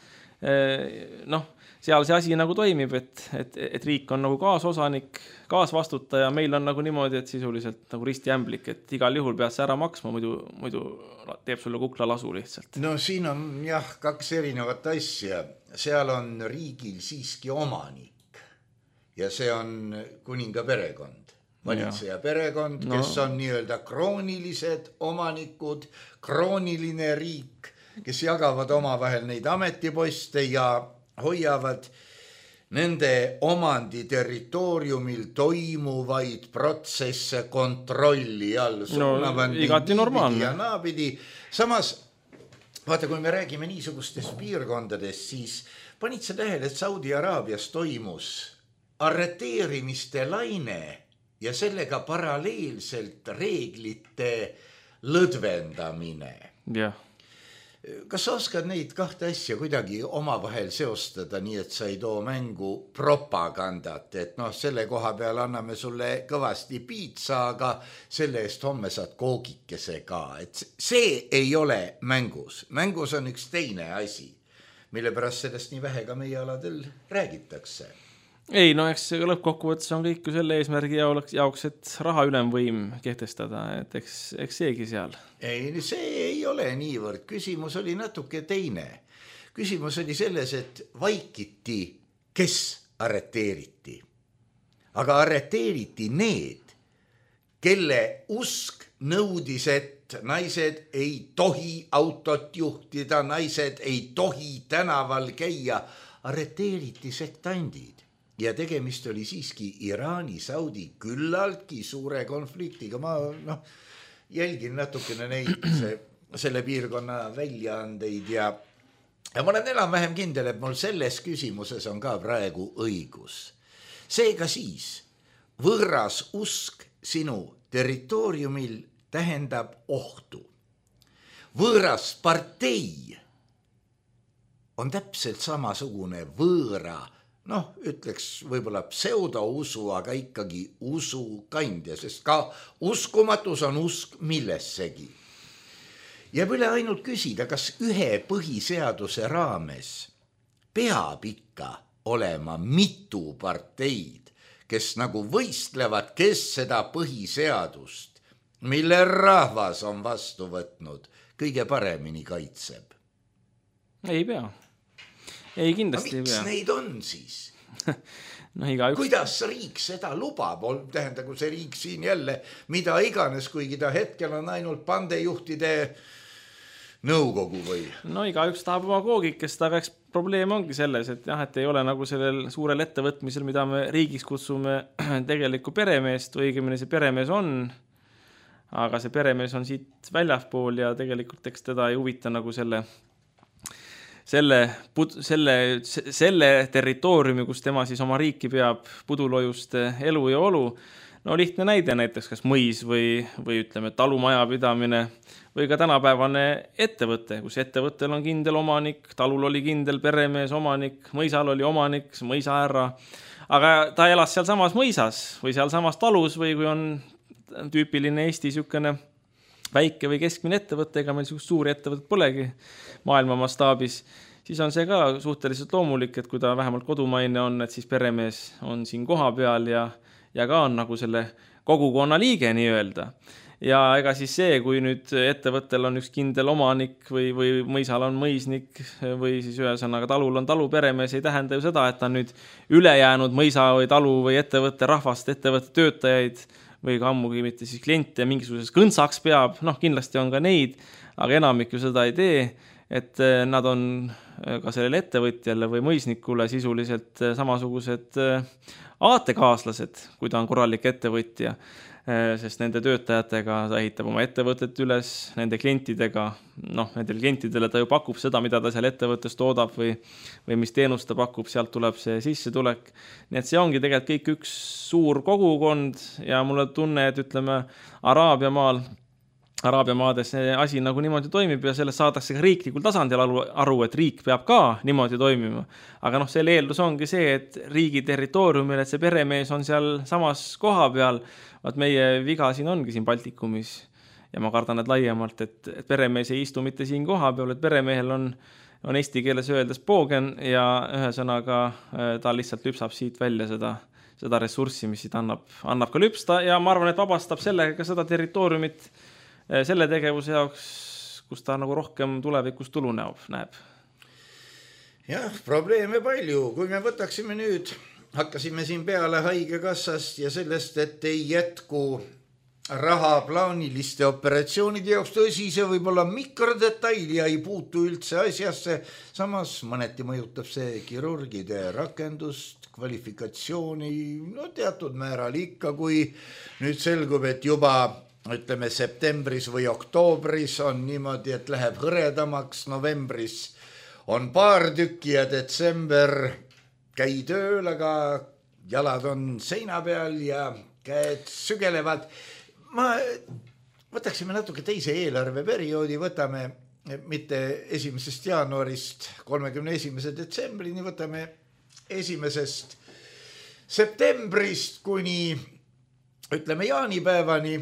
Noh, seal see asi nagu toimib, et, et, et riik on nagu kaasosanik, kaasvastutaja, meil on nagu niimoodi, et sisuliselt nagu ristijämblik, et igal juhul pead sa ära maksma, muidu, muidu teeb sulle kukla lasu lihtsalt. No siin on jah, kaks erinevat asja. Seal on riigil siiski omanik ja see on kuninga perekond, valitseja perekond, kes no. on nii-öelda kroonilised omanikud, krooniline riik. kes jagavad omavahel neid ametiposte ja hoiavad nende omandi territooriumil toimuvaid protsesse kontrolli all. No, igati normaalne. Ja naapidi. Samas, vaata, kui me räägime niisugustest piirkondadest, siis panid sa tähele, et Saudi Araabias toimus arreteerimiste laine ja sellega paralleelselt reeglite lõdvendamine. Jah. Kas sa oskad neid kahte asja kuidagi omavahel seostada, nii et sa ei too mängu propagandat, et noh, selle koha peal anname sulle kõvasti piitsa, aga selle eest homme saad koogikese ka. Et see ei ole mängus. Mängus on üks teine asi, mille pärast sellest nii vähe ka meie aladel räägitakse. Ei, no eks lõppkokkuvõttes on kõik ju selle eesmärgi jaoks, et raha ülemvõim kehtestada, et eks, eks seegi seal. Ei, see ei ole niivõrd. Küsimus oli natuke teine. Küsimus oli selles, et vaikiti, kes arreteeriti. Aga arreteeriti need, kelle usk nõudis, et naised ei tohi autot juhtida, naised ei tohi tänaval käia. Arreteeriti sektandid. Ja tegemist oli siiski Iraani, Saudi küllaltki suure konfliktiga. Ma noh, jälgin natukene neid se, selle piirkonna väljaandeid ja, ja ma olen enam vähem kindel, et mul selles küsimuses on ka praegu õigus. Seega siis võõras usk sinu territooriumil tähendab ohtu. Võõras partei on täpselt samasugune võõra, noh, ütleks võib-olla pseudousu, aga ikkagi usu kandja, sest ka uskumatus on usk millessegi. Jääb üle ainult küsida, kas ühe põhiseaduse raames peab ikka olema mitu parteid, kes nagu võistlevad, kes seda põhiseadust, mille rahvas on vastu võtnud, kõige paremini kaitseb. Ei pea. Ei, kindlasti ei pea. Miks neid on siis? No, igaüks... Kuidas riik seda lubab? Tähendagu see riik siin jälle mida iganes, kuigi ta hetkel on ainult pandejuhtide nõukogu või? No igaüks tahab oma koogikest, aga eks probleem ongi selles, et jah, et ei ole nagu sellel suurel ettevõtmisel, mida me riigiks kutsume tegelikku peremeest, õigemini see peremees on, aga see peremees on siit väljaspool ja tegelikult eks teda ei huvita nagu selle Selle, selle, selle territooriumi, kus tema siis oma riiki peab pudulojust elu ja olu. No lihtne näide näiteks, kas mõis või, või ütleme talumajapidamine või ka tänapäevane ettevõte, kus ettevõttel on kindel omanik, talul oli kindel peremees omanik, mõisal oli omanik, mõisaärra, aga ta elas seal samas mõisas või seal samas talus või kui on tüüpiline Eesti sükene väike või keskmine ettevõte, ega meil suuri ettevõtet polegi maailma mastaabis, siis on see ka suhteliselt loomulik, et kui ta vähemalt kodumaine on, et siis peremees on siin koha peal ja, ja ka on nagu selle kogukonna liige nii öelda. Ja ega siis see, kui nüüd ettevõttel on üks kindel omanik või, või mõisal on mõisnik või siis ühesõnaga talul on talu peremees, ei tähenda ju seda, et ta nüüd ülejäänud mõisa või talu või ettevõtte rahvast, ettevõtte töötajaid või ka ammugi mitte siis kliente mingisuguses kõntsaks peab, noh kindlasti on ka neid, aga enamik ju seda ei tee, et nad on ka sellele ettevõtjale või mõisnikule sisuliselt samasugused aatekaaslased, kui ta on korralik ettevõtja, sest nende töötajatega ta ehitab oma ettevõtet üles, nende klientidega, noh, nendel klientidele ta ju pakub seda, mida ta seal ettevõttes toodab või, või mis teenust ta pakub, sealt tuleb see sissetulek. Nii et see ongi tegelikult kõik üks suur kogukond ja mulle tunne, et ütleme Araabia maal, Araabia maades see asi nagu niimoodi toimib ja sellest saadakse ka riiklikul tasandil aru, et riik peab ka niimoodi toimima. Aga noh, selle eeldus ongi see, et riigi territooriumil, et see peremees on seal samas koha peal, vaat meie viga siin ongi siin Baltikumis ja ma kardan, et laiemalt, et, et peremees ei istu mitte siin koha peal, et peremehel on, on eesti keeles öeldes poogen ja ühesõnaga ta lihtsalt lüpsab siit välja seda, seda ressurssi, mis siit annab, annab ka lüpsta ja ma arvan, et vabastab sellega ka seda territooriumit selle tegevuse jaoks, kus ta nagu rohkem tulevikus tulu näeb. näeb. Jah, probleeme palju. Kui me võtaksime nüüd, hakkasime siin peale haigekassast ja sellest, et ei jätku raha plaaniliste operatsioonide jaoks tõsise võib-olla mikrodetaili ja ei puutu üldse asjasse, samas mõneti mõjutab see kirurgide rakendust, kvalifikatsiooni, no teatud määral ikka, kui nüüd selgub, et juba ütleme septembris või oktoobris on niimoodi, et läheb hõredamaks, novembris on paar tükki ja detsember käi tööl, aga jalad on seina peal ja käed sügelevad. Ma võtaksime natuke teise eelarveperioodi, võtame mitte esimesest jaanuarist kolmekümne esimese detsembrini, võtame esimesest septembrist kuni ütleme jaanipäevani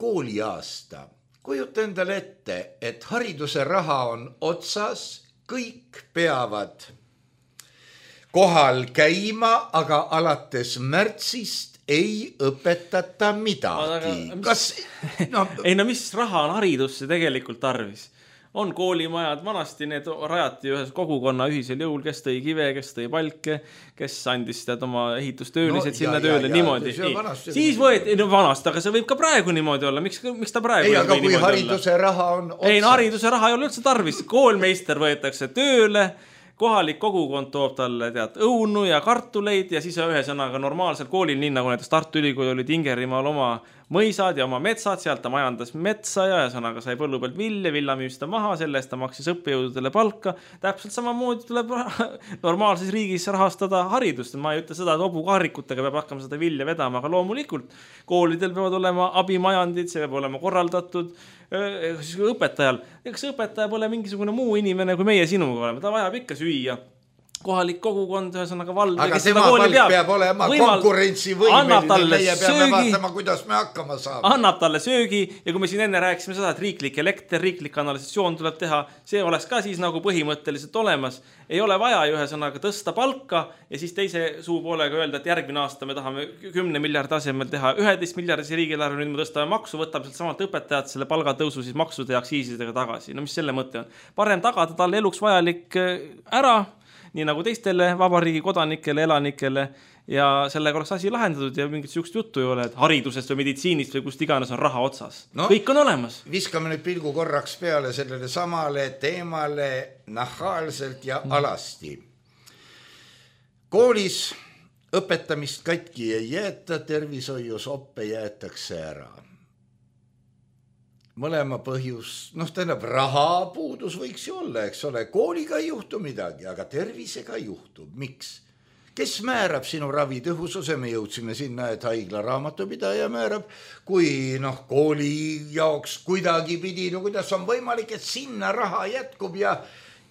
kooliaasta. Kujuta endale ette, et hariduse raha on otsas, kõik peavad kohal käima, aga alates märtsist ei õpetata midagi. Kas, no... ei no mis raha on haridusse tegelikult tarvis? On koolimajad, vanasti need rajati ühes kogukonna ühisel jõul, kes tõi kive, kes tõi palke, kes andis tead oma ehitustöölised no, sinna ja, tööle ja, niimoodi. Vanasti, siis võeti, no vanasti, aga see võib ka praegu niimoodi olla. Miks, miks ta praegu ei, aga kui hariduse olla? Raha on otsas. Ei, no hariduse raha ei ole üldse tarvis. Koolmeister võetakse tööle, kohalik kogukond toob talle tead õunu ja kartuleid ja siis ühesõnaga normaalsel koolil, nii nagu näiteks Tartu Ülikool oli Tingerimaal oma mõisad ja oma metsad, sealt ta majandas metsa ja ühesõnaga sai põllu pealt vilja, villa müüsta maha, selle eest ta maksis õppejõududele palka. Täpselt samamoodi tuleb normaalses riigis rahastada haridust. Ma ei ütle seda, et obukaarikutega peab hakkama seda vilja vedama, aga loomulikult koolidel peavad olema abimajandid, see peab olema korraldatud õpetajal. Eks õpetaja pole mingisugune muu inimene, kui meie sinuga oleme. Ta vajab ikka süüa. Kohalik kogukond, ühesõnaga vald. Aga tema palk peab, peab olema Võimal... konkurentsivõimeline, meie peame söögi, vaatama, kuidas me hakkama saame. Annab talle söögi ja kui me siin enne rääkisime seda, et riiklik elekter, riiklik kanalisatsioon tuleb teha, see oleks ka siis nagu põhimõtteliselt olemas. Ei ole vaja ühesõnaga tõsta palka ja siis teise suu poolega öelda, et järgmine aasta me tahame kümne miljardi asemel teha üheteist miljardisi riigieelarve, nüüd me tõstame maksu, võtab sealt samalt õpetajad selle palgatõusu siis maksude ja aktsiisidega tagasi. No mis selle mõte on? Parem tagada talle eluks vajalik ära, nii nagu teistele vabariigi kodanikele, elanikele ja sellega oleks asi lahendatud ja mingit sihukest juttu ei ole, et haridusest või meditsiinist või kust iganes on raha otsas. No, kõik on olemas. Viskame nüüd pilgu korraks peale sellele samale teemale nahaalselt ja alasti. Koolis õpetamist katki ei jäeta, tervishoius oppe jäetakse ära. Mõlema põhjus, noh tähendab, raha puudus võiks ju olla, eks ole, kooliga ei juhtu midagi, aga tervisega juhtub. Miks? Kes määrab sinu ravi tõhususe? Me jõudsime sinna, et haigla raamatupidaja määrab, kui noh, kooli jaoks kuidagi pidi, no kuidas on võimalik, et sinna raha jätkub ja,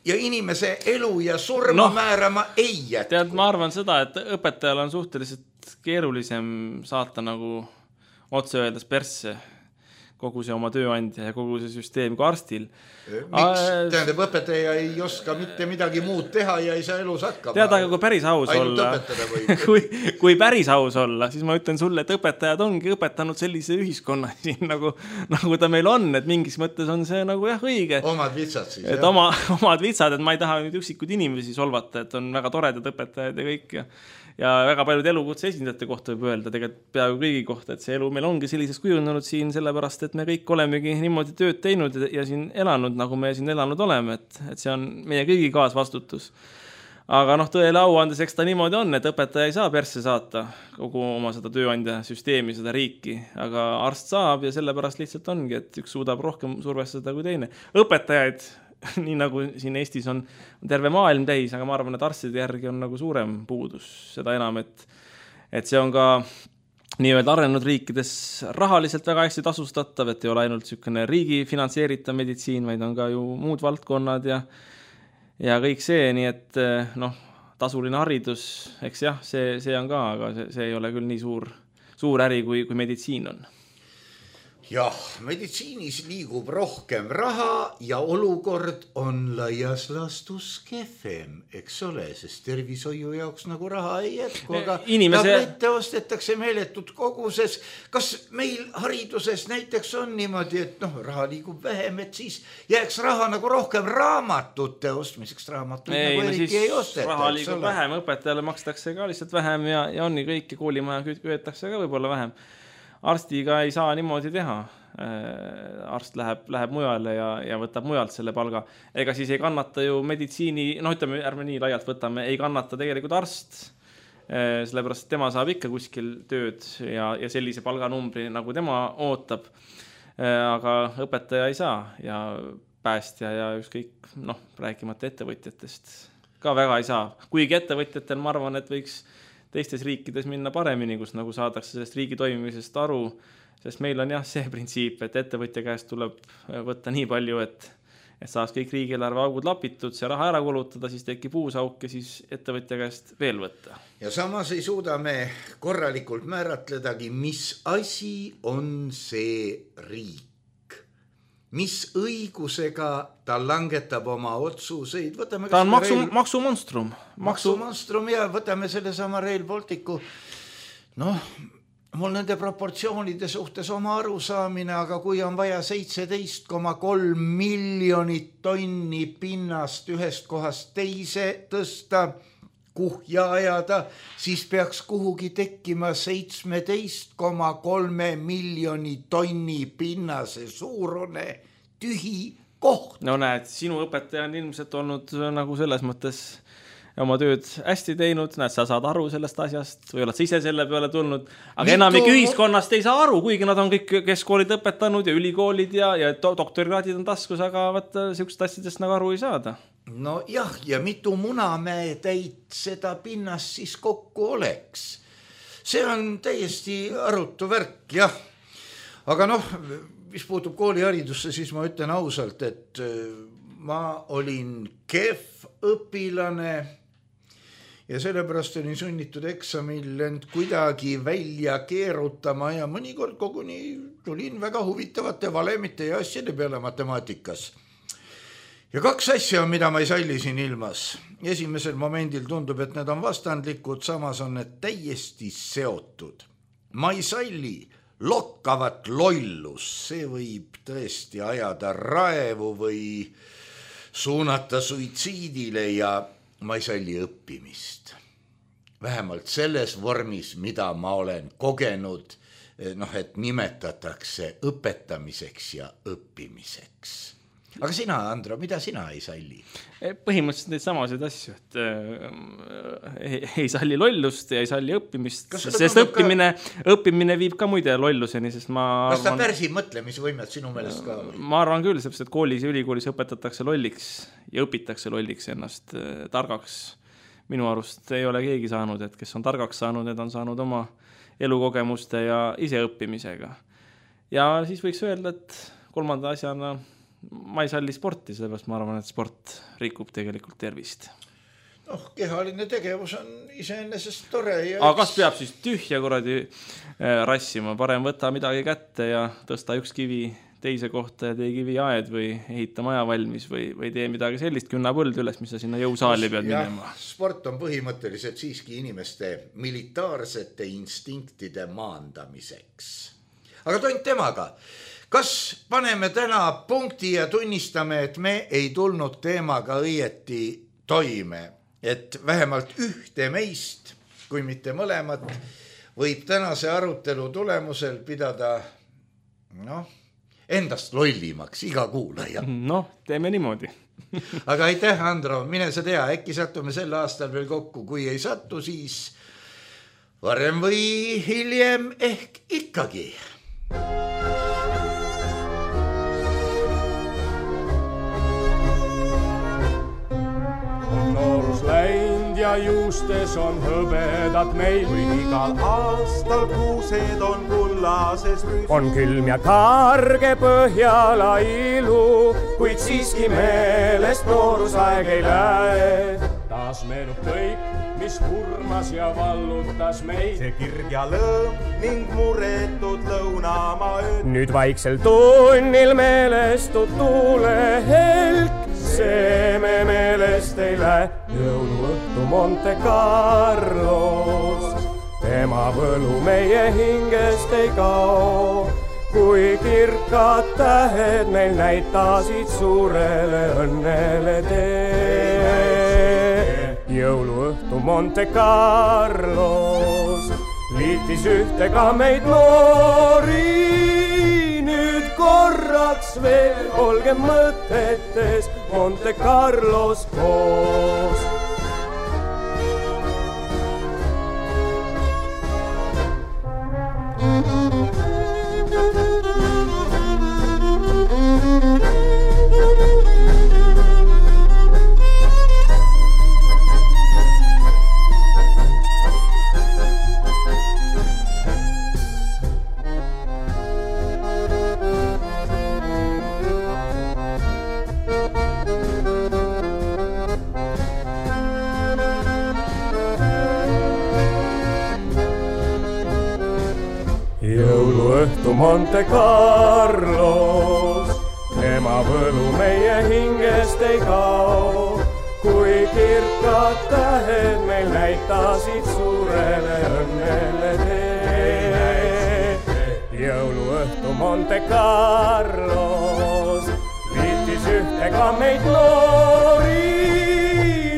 ja inimese elu ja surma no, määrama ei jätku. Tead, ma arvan seda, et õpetajal on suhteliselt keerulisem saata nagu otse öeldes persse kogu see oma tööandja ja kogu see süsteem kui arstil. Miks? Tähendab, õpetaja ei oska mitte midagi muud teha ja ei saa elus hakkama. Tead, aga kui päris aus olla, kui, kui päris aus olla, siis ma ütlen sulle, et õpetajad ongi õpetanud sellise ühiskonna siin, nagu, nagu ta meil on, et mingis mõttes on see nagu jah õige. Omad vitsad siis. Et oma, omad vitsad, et ma ei taha nüüd üksikud inimesi solvata, et on väga toredad õpetajad ja kõik ja ja väga paljud elukutse esindajate kohta võib öelda, tegelikult peaaegu kõigi kohta, et see elu meil ongi selliseks kujunenud siin sellepärast, et me kõik olemegi niimoodi tööd teinud ja siin elanud, nagu me siin elanud oleme, et, et see on meie kõigi kaasvastutus. Aga noh, tõele au andes, eks ta niimoodi on, et õpetaja ei saa persse saata kogu oma seda tööandja süsteemi, seda riiki, aga arst saab ja sellepärast lihtsalt ongi, et üks suudab rohkem survestada kui teine. Õpetajaid nii nagu siin Eestis on terve maailm täis, aga ma arvan, et arstide järgi on nagu suurem puudus. Seda enam, et, et see on ka nii-öelda arenenud riikides rahaliselt väga hästi tasustatav, et ei ole ainult sükene riigi finantseeritav meditsiin, vaid on ka ju muud valdkonnad ja, ja kõik see, nii et noh, tasuline haridus, eks jah, see, see on ka, aga see, see ei ole küll nii suur, suur äri, kui, kui meditsiin on. Jah, meditsiinis liigub rohkem raha ja olukord on laias laastus kehvem, eks ole, sest tervishoiu jaoks nagu raha ei jätku, aga Inimese... tablette ostetakse meeletud koguses. Kas meil hariduses näiteks on niimoodi, et noh, raha liigub vähem, et siis jääks raha nagu rohkem raamatute ostmiseks, raamatuid ei, nagu eriti ei osteta. Raha liigub vähem, õpetajale makstakse ka lihtsalt vähem ja, ja on nii kõik ja koolimaja köetakse ka võib-olla vähem. arstiga ei saa niimoodi teha. Arst läheb, läheb mujale ja, ja võtab mujalt selle palga. Ega siis ei kannata ju meditsiini, no ütleme, ärme nii laialt võtame, ei kannata tegelikult arst, sellepärast tema saab ikka kuskil tööd ja, ja sellise palganumbri, nagu tema ootab. Aga õpetaja ei saa ja päästja ja ükskõik, noh, rääkimata ettevõtjatest ka väga ei saa. Kuigi ettevõtjatel ma arvan, et võiks teistes riikides minna paremini, kus nagu saadakse sellest riigi toimimisest aru, sest meil on jah see printsiip, et ettevõtja käest tuleb võtta nii palju, et, et saaks kõik riigieelarve augud lapitud, see raha ära kulutada, siis tekib uus auk ja siis ettevõtja käest veel võtta. Ja samas ei suuda me korralikult määratledagi, mis asi on see riik. Mis õigusega ta langetab oma otsuseid. Võtame ta on maksu, Rail... maksumonstrum. Maksu... maksumonstrum ja võtame selle sama Rail Balticu. Noh, mul nende proportsioonide suhtes oma arusaamine, aga kui on vaja seitseteist koma kolm miljonit tonni pinnast ühest kohast teise tõsta, kuhja ajada, siis peaks kuhugi tekkima seitseteist koma kolm miljoni tonni pinnase suurune tühi koht. No näed, sinu õpetaja on ilmselt olnud nagu selles mõttes oma tööd hästi teinud, näed, sa saad aru sellest asjast või oled sa ise selle peale tulnud, aga Mitu... enamik ühiskonnast ei saa aru, kuigi nad on kõik keskkoolid õpetanud ja ülikoolid ja, ja doktorikraadid on taskus, aga vaata, sihukest asjadest nagu aru ei saada. No jah, ja mitu munamäe täit seda pinnast siis kokku oleks. See on täiesti arutu värk, jah. Aga noh, mis puutub kooliharidusse, siis ma ütlen ausalt, et ma olin kehv õpilane ja sellepärast olin sunnitud eksamil end kuidagi välja keerutama ja mõnikord koguni tulin väga huvitavate valemite ja asjade peale matemaatikas. Ja kaks asja on, mida ma ei salli siin ilmas. Esimesel momendil tundub, et need on vastandlikud, samas on need täiesti seotud. Ma ei salli lokkavat lollus, see võib tõesti ajada raevu või suunata suitsiidile ja ma ei salli õppimist. Vähemalt selles vormis, mida ma olen kogenud, noh, et nimetatakse õpetamiseks ja õppimiseks. Aga sina, Andro, mida sina ei salli? Põhimõtteliselt neid samasid asju, et äh, ei, ei salli lollust ja ei salli õppimist, sest õppimine, ka... õppimine viib ka muide lolluseni, sest ma Kas ta arvan, pärsib mõtlemisvõimet sinu meelest ka? Ma arvan küll, sest koolis ja ülikoolis õpetatakse lolliks ja õpitakse lolliks ennast äh, targaks. Minu arust ei ole keegi saanud, et kes on targaks saanud, need on saanud oma elukogemuste ja iseõppimisega. Ja siis võiks öelda, et kolmanda asjana ma ei salli sporti, sellepärast ma arvan, et sport rikub tegelikult tervist. Noh, kehaline tegevus on iseenesest tore. Ja aga kas peab siis tühja korradi rassima? Parem võtta midagi kätte ja tõsta üks kivi teise kohta ja tee kivi aed või ehita maja valmis või, või tee midagi sellist, künna põld üles, mis sa sinna jõusaali pead minema. Sport on põhimõtteliselt siiski inimeste militaarsete instinktide maandamiseks. Aga tont temaga. Kas paneme täna punkti ja tunnistame, et me ei tulnud teemaga õieti toime, et vähemalt ühte meist, kui mitte mõlemat, võib tänase arutelu tulemusel pidada noh, endast lollimaks iga kuulaja. Noh, teeme niimoodi. Aga aitäh, Andro, mine sa tea, äkki sattume sel aastal veel kokku, kui ei sattu, siis varem või hiljem ehk ikkagi. Läind ja juustes on hõbedad meil, kui igal aastal kuused on kullases rüs. On külm ja karge Põhjala ilu, kuid siiski meelest noorusaeg ei lähe. Taas meenub kõik, mis hurmas ja vallutas meid. See kirg ja lõõm ning muretud lõunamaa ööd. Nüüd vaiksel tunnil meelestud tuule helk. See me meelest ei lähe jõuluõhtu Monte Carlos. Tema võlu meie hingest ei kao, kui kirkad tähed meil näitasid suurele õnnele tee. Jõuluõhtu Monte Carlos, liit liitis ühtega meid noori. Nüüd korraks veel olge mõtetes Monte Carlos koos. Jõuluõhtu Monte Carlos, ema võlu meie hingest ei kao, kui kirkad tähed meil näitasid suurele õnnele tee. Jõuluõhtu Monte Carlos, liitis ühtega meid noori,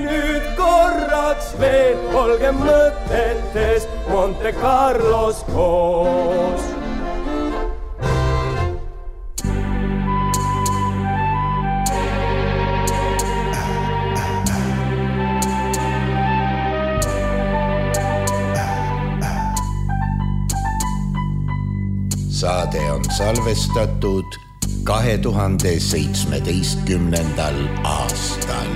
nüüd korraks veel olge mõtetes Monte Carlos koos. Saade on salvestatud kahe tuhande seitsmeteistkümnendal aastal.